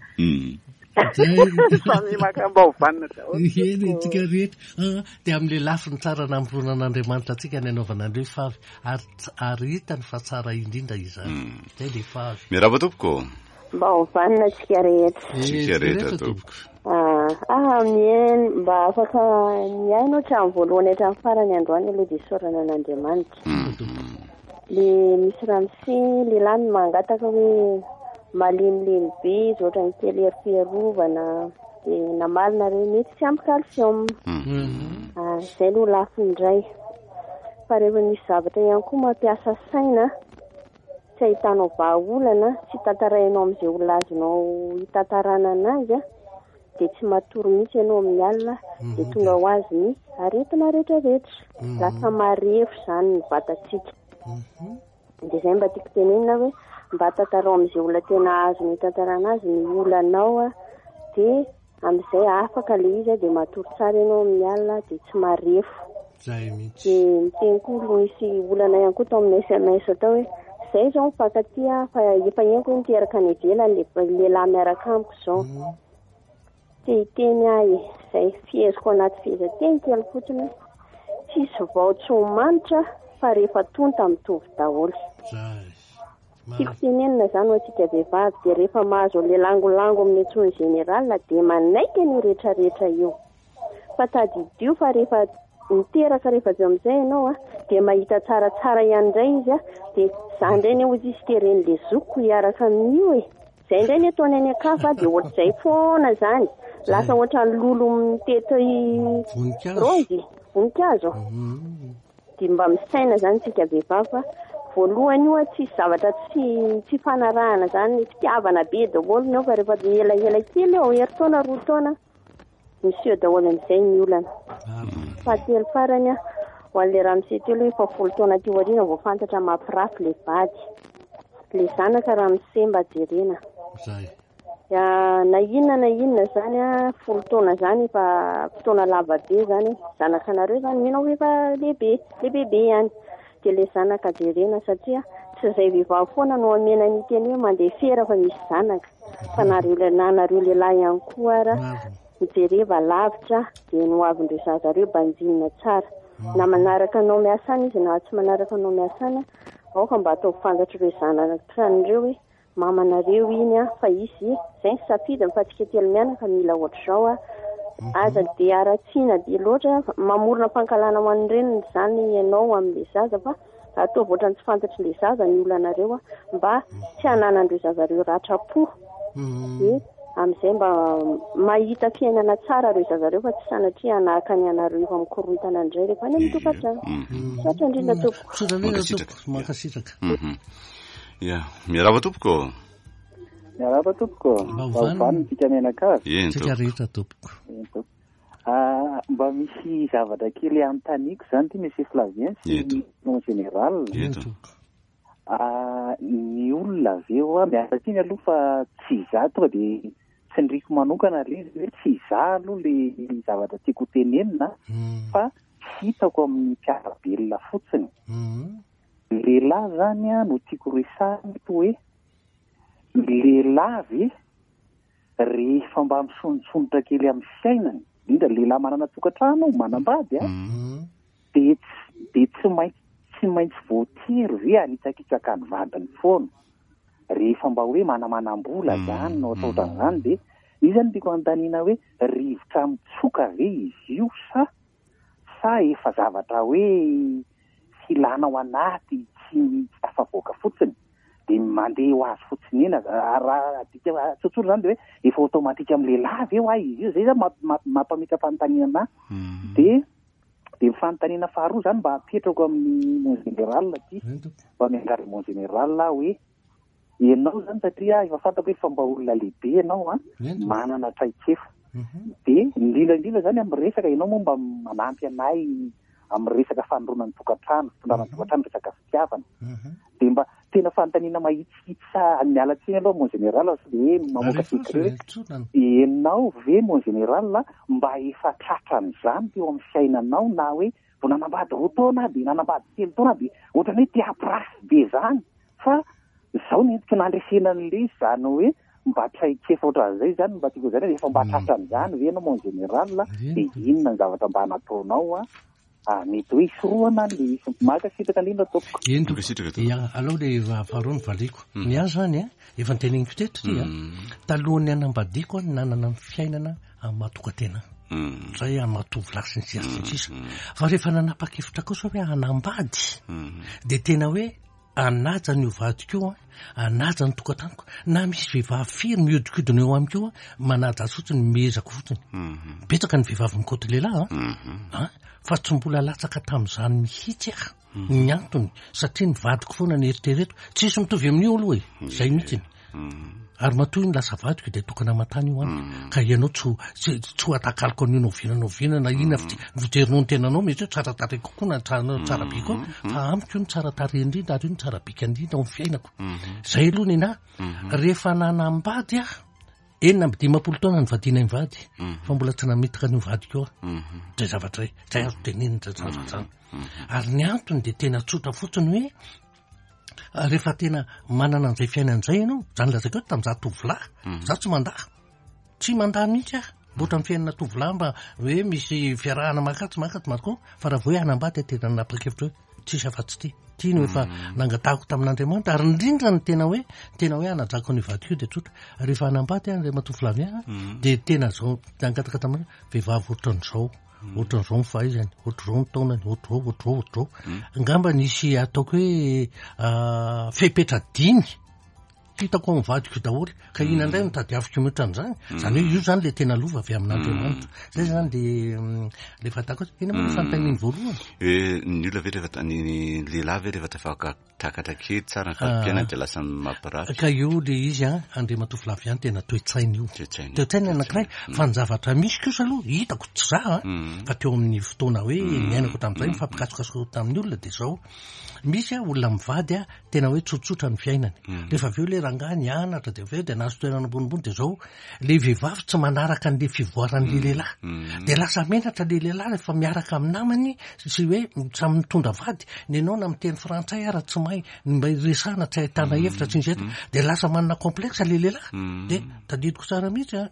rehetra dia samy maka mba ho vanona daholo. Eny tsika rehetra ah, dia amin'le lafiny tsara namoronan'Andriamanitra antsika ny anaovana an'ireo favy ary ary hitany fa tsara indrindra izany. Zay le favy. Miarahaba tompoko. Mba ho vanona antsika rehetra. Tsika rehetra tompoko. Ah, ah, mihaino, mba afaka mihaino hatramin'ny voalohany hatramin'ny farany androany aloha dia isaorana an'Andriamanitra. Le misy ramose lehilahy no mangataka hoe malemilemy be izy ohatran'ny kely hery fiarovana dia namaly nareo mety tsy ampy calcium. Ah, izay aloha lafiny iray. Fa rehefa misy zavatra ihany koa mampiasa saina tsy ahitanao vahaolana, tsy tantarainao amin'izay olona azonao hitantarana anazy an. dia tsy matory mihitsy ianao amin'ny alina dia tonga ho azy ny aretina rehetrarehetra. Lasa marefo izany ny vatantsika. Dia izay mba tiako tenenina hoe mba tantarao amin'izay olona tena azony hitantarana azy ny olanao dia amin'izay afaka ilay izy dia matory tsara ianao amin'ny alina dia tsy marefo. Zay mihitsy. Dia niteny koa aloha nisy olana ihany koa tao amin'ny SMS tao hoe zay izao mifankatia fa efa henoko hoe miteraka any ivelany le lehilahy miaraka amiko izao. Te hiteny aho e, izay fiheziko anaty fehezanteny kely fotsiny hoe tsisy vao tsy ho manitra fa rehefa tonta mitovy daholo. Zay. Tiako tenenina izany ho antsika vehivavy dia rehefa mahazo an'ilay langolango amin'ny antsoin'ny général dia manaiky an'io rehetrarehetra io. Fa tadidio fa rehefa miteraka rehefa avy eo amin'izay ianao a, dia mahita tsaratsara ihany indray izy a, dia za indray anie hozy izy teren'le zokiko hiaraka amin'io e. Zay indray ny ataony any an-kafa dia ohatr'izay foana zany. Lasa ohatran'ny lolo mitety raozy, voninkazo. Dia mba misaina zany tsika vehivavy fa voalohany io a tsisy zavatra tsy tsy fanarahana zany, fitiavana be daholo ny ao fa rehefa elaela kely eo, herintaona, roa taona, Miseho daholo amin'izay ny olana. Fahatelo farany, ho an'ilay ramose teo aloha efa folo taona aty aoriana vao fantatra mampirafy ilay vady. Ilay zanaka ramose mba jerena. Zay. Na inona na inona izany, folo taona izany efa fotoana lava be izany. Zanakanareo izany mino aho efa lehibe, lehibebe ihany. Dia ilay zanaka jerena satria tsy izay vehivavy foana no omena ny teny hoe mandefera fa misy zanaka. Fa nareo na nareo lehilahy ihany koa ara mijereva lavitra dia ny hoavin'ireo zaza ireo banjinina tsara. Na manaraka anao miasa any izy na tsy manaraka anao miasa any, aoka mba ataovy fantatr'ireo zanak'ireo hoe mamanareo iny an, fa izy izay ny safidiny fa tsika telo mianaka mila ohatr'izao an. Aza dia haratsiana be loatra, mamorona fankahalana ho an'ny reniny izany ianao amin'ilay zaza fa ataovy ohatran'ny tsy fantatr'ilay zaza ny olanareo mba tsy hananan'ireo zaza ireo ratram-po. Dia amin'izay mba mahita fiainana tsara ireo zaza ireo fa tsy sanatria hanahaka ny anareo efa mikorontana indray rehefa any amin'ny tokantrano. Misaotra indrindra tompoko. Misaotra indrindra tompoko. Mankasitraka. Ya, miarahaba tompoko. Miarahaba tompoko. Mba ho vanona tsika mianakavy. Eny Tsika rehetra tompoko. Eny tompoko. Ah, mba misy zavatra kely anontaniako izany ity Monsieur Flavien sy Eto. mon général. Eny Eto. tompoko. Ah, ny olona avy eo ah, miala tsiny aloha fa tsy izaho tonga dia tsindriako manokana ilay izy hoe tsy izaho aloha ilay zavatra tiako ho tenenina fa hitako amin'ny mpiara-belona fotsiny. Lehilahy izany no tiako resahina eto hoe ny lehilahy ve rehefa mba misondrosondrotra kely amin'ny fiainany, indrindra lehilahy manana tokantrano, manambady an, dia tsy dia tsy maintsy tsy maintsy voatery ve hanitsakitsaka ny vadiny foana rehefa mba hoe manamanam-bola izany no atao ohatran'izany dia iza no tiako anontaniana hoe rivotra mitsoka ve izy io sa sa efa zavatra hoe filana ao anaty tsy tsy tafavoaka fotsiny dia mandeha ho azy fotsiny eny aza raha adika tsotsotra izany dia hoe efa automatique amin'ny lehilahy ve hoa izy io zay zany mampametra-panontaniana anahy dia dia ny fanontaniana faharoa izany mba apetrako amin'ny mon général aty mba miangavy mon général aho hoe Ianao izany satria efa fantako hoe efa mba olona lehibe ianao an, manana traikefa. Dia indrindra indrindra izany amin'ny resaka, ianao moa mba manampy anay amin'ny resaka fanorona ny tokantrano, fitondrana ny tokantrano, resaka fitiavana. Dia mba tena fanontaniana mahitsihitsy sa miala tsiny aloha mon général sao dia hoe mamoaka secret hoe ianao ve mon général mba efa tratran'izany teo amin'ny fiainanao na hoe vao nanambady roa taona dia nanambady telo taona dia ohatran'ny hoe te hampirafy be izany Fa zao ny entiko nandresena an'ilay izy zany hoe mba traikefa ohatran'izay zany mba tiako zany hoe efa mba tratran'izany ve ianao mon général dia inona ny zavatra mba nataonao a ah, mety hoe hisorohana an'ilay izy. Mankasitraka indrindra tompoko. Eny tompoko. Mankasitraka tompoko. Ya, aleo le faharoa no valiako. Ny ahy zany a, efa noteneniko teto ity a, talohan'ny hanambadiako aho nanana ny fiainana amin'ny maha tokantena ahy. Zay amin'ny maha tovolahy sy ny sisa sy ny sisa. Fa rehefa nanapa-kevitra kosa hoe hanambady, dia tena hoe Hanaja an'io vadiko io aho, hanaja ny tokantranoko, na misy vehivavy firy mihodinkodina eo amiko eo aho, manaja azy fotsiny, miezaka fotsiny. Betsaka ny vehivavy mikoty lehilahy an, an, fa tsy mbola latsaka tamin'izany mihitsy aho. Ny antony, satria ny vadiko foana no eritrereto, tsisy mitovy amin'io aloha e, zay mihitsiny. Ary matoa io no lasa vadiko dia tokana aman-tany io amiko. Ka ianao tsy ho, tsy, tsy ho atakaloko an'io na oviana na oviana na inona fa tsy, fijerinao ny tenanao mety hoe tsara tarehy kokoa na tsara, tsara be koa. Fa amiko io no tsara tarehy indrindra ary io no tsara bika indrindra ao amin'ny fiainako. Izay aloha ny anahy. Rehefa nanambady aho, 56 taona nivadianay mivady, fa mbola tsy namitaka an'io vadiko io aho. Izay zavatra izay, izay azo tenenina izay zavatra izany. Ary ny antony dia tena tsotra fotsiny hoe, rehefa tena manana an'izay fiainana izay ianao, izany lazaiko hoe tamin'izaho tovolahy, izaho tsy mandà, tsy mandà mihitsy aho, mba ohatran'ny fiainana tovolahy mba hoe misy fiarahana mankatsy mankatsy manko, fa raha vao hoe hanambady aho tena nanapa-kevitra hoe tsisy afa-tsy ity, ity no efa nangatahako tamin'Andriamanitra, ary indrindra ny tena hoe, tena hoe hanajako ny vadiko io dia tsotra, rehefa hanambady aho Andriamatoa Flavien, dia tena izao nangataka tamin'Andriamanitra, vehivavy ohatran'izao. Ohatran'izao ny fahaizany, ohatr'izao ny taonany, ohatr'izao, ohatr'izao, ohatr'izao. Angamba nisy ataoko hoe fepetra dimy hitako ao amin'ny vadiko daholo, ka inona indray no tadiaviko mihoatra an'izany? Izany hoe io izany ilay tena lova avy amin'Andriamanitra. Izay izany dia ilay fahitako azy. Inona moa ny fanontaniany voalohany? Hoe ny olona ve rehefa, ny lehilahy ve rehefa tafaka Takatra kely tsara ny fari-piainana dia lasa mampirafy. Ka io le izy an, Andriamatoa Flavien tena toe-tsaina io. Toe-tsaina. Toe-tsaina anankiray, fa ny zavatra misy kosa aloha hitako tsy za an, fa teo amin'ny fotoana hoe niainako tamin'izay nifampikasokasoka tamin'ny olona dia izao, misy an olona mivady an tena hoe tsotsotra ny fiainany, rehefa avy eo le rangahy nianatra dia avy eo dia nahazo toerana ambonimbony dia izao, le vehivavy tsy manaraka an'le fivoaran'le lehilahy, dia lasa menatra le lehilahy rehefa miaraka amin'ny namany sy hoe samy mitondra vady, ny anao na miteny frantsay ara tsy mahay, ny mba iresahana tsy ahitana hevitra tsy misy eto, dia lasa manana complexe le lehilahy, dia tadidiko tsara mihitsy an,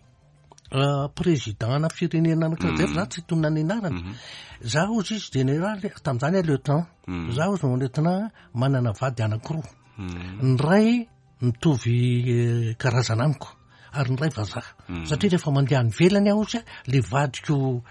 président ana firenena anankiray zay fa za tsy hitonona ny anarany, za hozy izy général tamin'izany aho lieutenant, za hozy no lieutenant manana vady anankiroa, ny iray mitovy karazana amiko ary ny iray vazaha satria rehefa mandeha any ivelany aho ozy le vadiko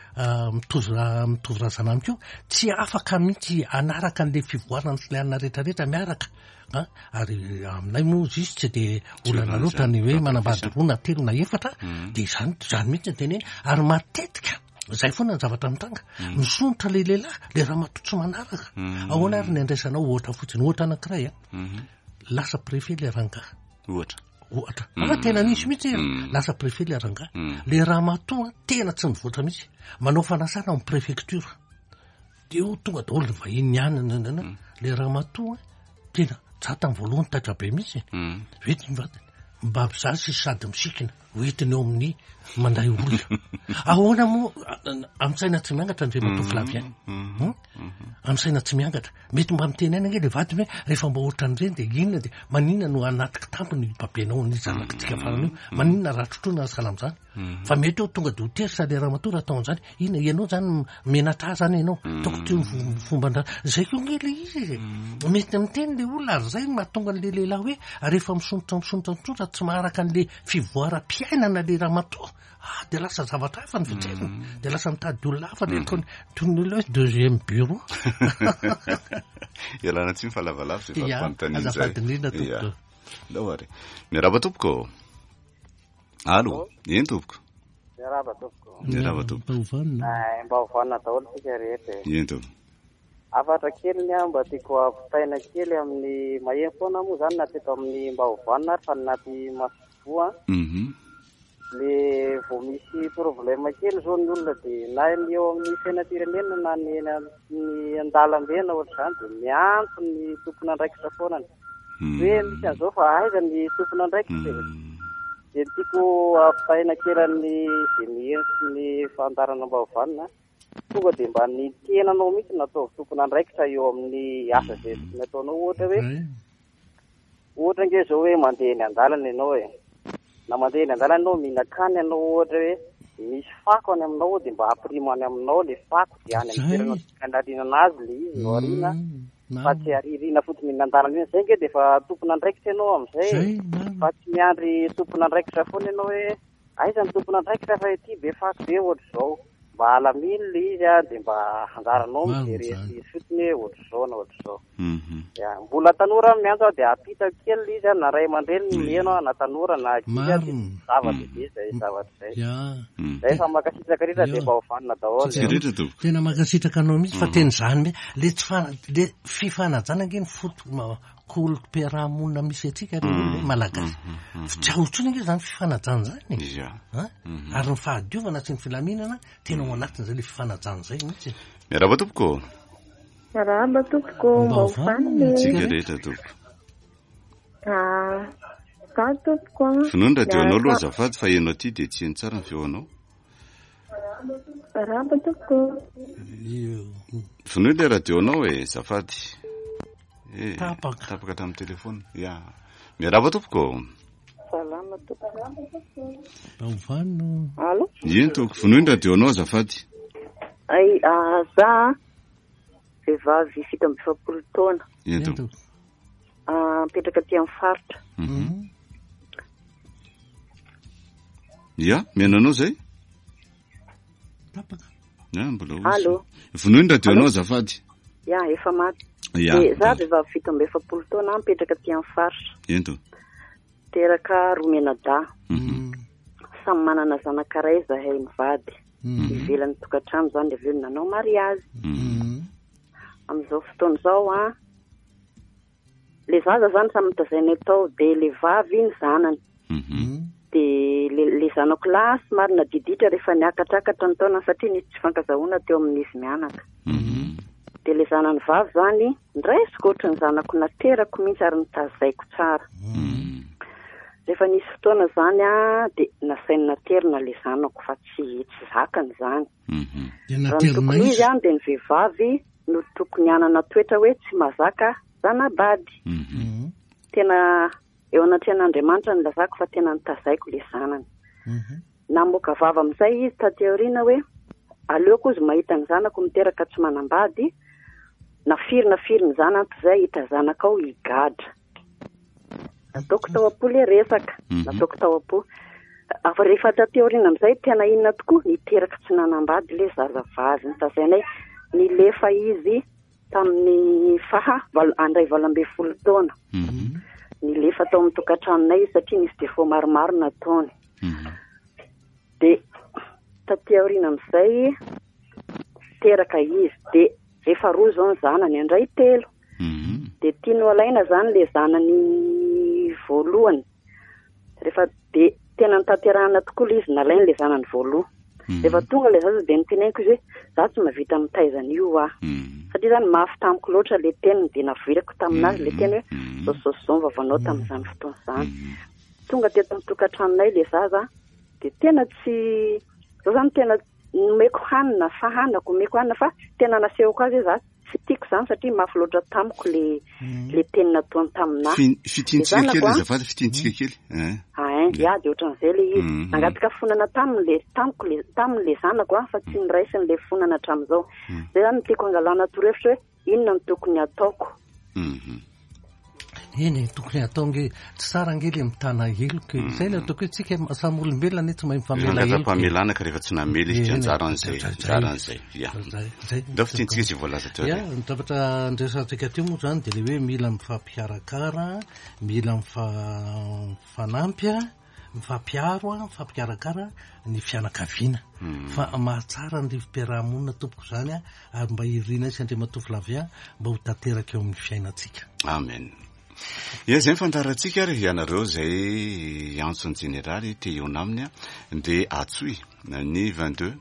mitovy mitovy razana amiko io tsy afaka mihitsy hanaraka an'le fivoarana sy le anona rehetrarehetra miaraka a ary aminay moa ozy izy tsy de olana loatra ny hoe manambady roa na telo na efatra de izany izany mihitsy ny teneny ary matetika zay foana ny zavatra mitranga misondrotra le lehilahy le ramatoa tsy manaraka ahoana ary ny andraisanao ohatra fotsiny ohatra anankiray a Lasa préfet le rangahy. Ohatra. Ohatra. Fa tena nisy mihitsy e. Lasa préfet le rangahy. Le ramatoa tena tsy mivoatra mihitsy. Manao fanasana ao amin'ny préfecture. De eo tonga daholo ny vahiny any nanana. Le ramatoa tena za tamin'ny voalohany taitra be mihitsy. Vety ny vadiny. Mba za sy sady misikina. Hoentiny eo amin'ny mandray olona. Ahoana moa amin'ny saina tsy miangatra Andriamatoa Flavien? Amin'ny saina tsy miangatra. Mety mba miteny aina ange le vadiny hoe rehefa mba ohatran'ireny dia inona dia maninona no anaty kitapo ny babenao ny zanakitsika farany io? Maninona raha trotroina sahala amin'izany? Fa mety hoe tonga dia ho teritra le ramatoa raha atao an'izany. Inona ianao izany menatra ahy izany ianao? Ataoko toy ny fomban-dra-. Izay koa ange le izy e. Mety miteny le olona ary izay no mahatonga an'le lehilahy hoe rehefa misondrotra misondrotra misondrotra tsy maharaka an'le fivoaram-piainana le ramatoa, ah dia lasa zavatra hafa ny fijeriny, dia lasa mitady olona hafa le ataony toy ny olona hoe deuxième bureau. Ialana tsiny fa lavalava izay Ya, valim-panontaniana izay. azafady indrindra tompoko. Ya. Ndao ary. Miarahaba tompoko. Allo, eny tompoko. Miarahaba tompoko. Miarahaba tompoko. Mba ho vanona. Eh, mba ho vanona daholo tsika rehetra e. Eny tompoko. Hafatra kely ny ahy mba tiako ampitaina kely amin'ny maheno foana moa zany na teto amin'ny mba ho vanona ary fa ny naty masoivoho an. Le vao misy problème kely zao ny olona dia na ny eo amin'ny fiainam-pirenena na ny eny amin'ny an-dalambe na ohatr'izany dia miantso ny tompon'andraikitra foana. Hoe misy an'izao fa aiza ny tompon'andraikitra e? Dia ny tiako ampitaina kely an'ny izay miheno sy ny fandaharana mba ho vanona, tonga dia mba ny tenanao mihitsy no ataovy tompon'andraikitra eo amin'ny asa izay tokony ataonao. Ohatra hoe, ohatra ange izao hoe mandeha eny an-dalana ianao e. Na mandeha eny an-dalana ianao mihinan-kanina ianao ohatra hoe misy fako any aminao dia mba ampirimo any aminao ilay fako dia any amin'ny toerana tokony hanariana azy ilay izy no ariana fa tsy aririna fotsiny eny an-dalana eny. Izay ange dia efa tompon'andraikitra ianao amin'izay e. Fa tsy miandry tompon'andraikitra foana ianao hoe Aiza ny tompon'andraikitra fa ity be fako be ohatr'izao. Mba alamino le izy a, dia mba anjaranao mijery izy fotsiny hoe ohatr'izao na ohatr'izao. Ya, mbola tanora aho miantso aho dia ampitako kely le izy a, na ray aman-dreny no miheno aho, na tanora na ankizy a, dia zava-dehibe izay zavatra izay. Zay fa mankasitraka rehetra dia mba ho vanona daholo. Tena mankasitraka anao mihitsy fa tena izany mihitsy, le tsy fa- le fifanajana ange ny foto. kolom-piarahamonina misy antsika ry olona e, malagasy. Tsy ao intsony ange izany fifanajana izany e. Ia. An? Ary ny fahadiovana sy ny filaminana tena ao anatin'izay le fifanajana izay mihitsy e. Miarahaba tompoko. Miarahaba tompoko, mba ho vanona e. Tsika rehetra tompoko. Ah, za tompoko an. Vonoy ny radio anao aloha azafady fa heno aty dia tsy heno tsara ny feo anao. Miarahaba tompoko. Vonoy ilay radio anao e, azafady. Eh, Tapaka. Tapaka tamin'ny telefona. Ya. Miarahaba tompoko. Salama tompoko. Mba ho vanona. Allo? Eny tompoko, vonoy ny radio anao azafady. Ay, ah, za vehivavy 47 taona. Eny tompoko. Ah, mipetraka aty amin'ny faritra. Mhm. Ya, mihaino anao zay? Tapaka. Ya, mbola hozy. Allo. Vonoy ny radio anao azafady. Ya, efa maty. Ya. De, za vehivavy 47 taona mipetraka aty amin'ny faritra. Eny tompoko. Teraka roa mianadahy. Mhm. Samy manana zanaka iray zahay mivady. Ivelan'ny tokantrano zany de avy eo nanao mariazy. Amin'izao fotoana izao an, le zaza zany samy notazainay tao de le vavy ny zanany. De le, le zanako lahy somary nadiditra rehefa niakatrakatra ny taonany satria nisy tsy fankazahoana teo amin'izy mianaka. De le zanany vavy zany ndraisiko ohatry ny zanako naterako mihitsy ary notazaiko tsara. Rehefa nisy fotoana zany a de nasainy naterina le zanako fa tsy tsy zakany zany. Dia Raha ny naterina tokony izy. izy an de ny vehivavy no tokony hanana toetra hoe tsy mazaka zanabady. Tena eo anatrehan'Andriamanitra no lazako fa tena notazaiko le zanany. Namoaka vava amin'izay izy taty aoriana hoe aleoko izy mahita ny zanako miteraka tsy manambady na firy na firy ny zanany toy izay hahita zanaka ao higadra. Nataoko tao am-po le resaka, nataoko tao am-po. Fa rehefa taty aoriana amin'izay tena inona tokoa niteraka tsy nanambady le zazavavy notazainay nilefa izy tamin'ny faha valo andray 18 taona. Nilefa tao amin'ny tokantranonay izy satria nisy défaut maromaro nataony. De taty aoriana amin'izay teraka izy de efa roa izao ny zanany andray telo. De tiany ho alaina zany le zanany voalohany. Rehefa de tena notanterahana tokoa le izy nalainy le zanany voalohany. Rehefa tonga le zaza de niteneniko izy hoe za tsy mahavita mitaiza an'io aho. Satria zany mafy tamiko loatra le teniny de naveriko taminazy le teny hoe zao zao zao ny vavanao tamin'izany fotoana izany. Tonga teto amin'ny tokantranonay le zaza de tena tsy zao zany tena nomeko hanina fahanako omeko hanina fa tena nasehoko azy hoe za tsy tiako izany satria mafy loatra tamiko le le teny nataony taminahy. Fitintsika Le kely zanako, a, azafady, fitintsika kely. Eh. Ah, ya de ohatran'izay le izy. Mhm. Nangataka fonana taminy le tamiko le taminy le zanako a fa tsy niraisiny le fonana hatramin'izao. Zay zany no tiako angalana torohevitra hoe inona no tokony ataoko. Eny e, tokony atao nge tsy tsara nge le mitana heloka e. Zay le ataoko hoe tsika samy olombelona anie tsy mahay mifamela heloka e. Angata-pamelana ka rehefa tsy namela izy dia Eny e, anjaran'izay, zay, anjaran'izay. Ya. zay, zay. Ndao fitintsika izay voalaza teo Ya, aloha. ny zavatra andresantsika teo moa zany dia le hoe mila mifampikarakara, mila mifanampy a, mifampiaro a, mifampikarakara ny fianakaviana. Fa mahatsara ny rivo-piarahamonina tompoko zany a, ary mba irina sy Andriamatoa Flavien mba ho tanteraka eo amin'ny fiainantsika. Amen. Ia, izay ny fandaharantsika ary ianareo izay hiantso ny jeneraly te hihaona aminy a, dia antsoy ny 22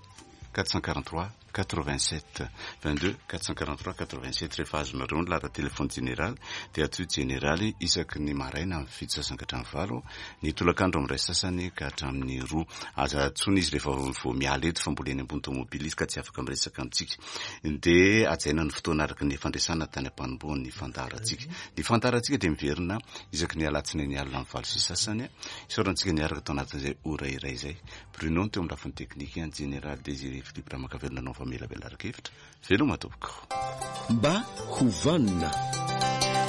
443 87 22 443 87 rehefa azonareo ny laharan-telefony jeneraly dia antsoy jeneraly isaky ny maraina amin'ny fito sasany ka hatramin'ny valo, ny tolakandro amin'ny iray sasany ka hatramin'ny roa. Aza antsoina izy rehefa vao miala eto fa mbola eny ambony tomobily izy ka tsy afaka miresaka amintsika. Dia hajaina ny fotoana araka ny fandresana tany am-panombohan'ny fandaharantsika. Ny fandaharantsika dia miverina isaky ny alatsinainy alina amin'ny valo sy sasany. Isaorantsika niaraka tao anatin'izay ora iray izay. Bruno teo amin'ny lafiny teknika, Jeneraly Désiré Philippe Ramakavelo nanao famelabelaran-kevitra. Veloma tompoko. Mba ho vanona.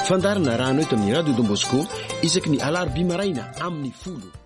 Fandaharana rano eto amin'ny Radio Don Bosco isaky ny alarobia maraina amin'ny 10.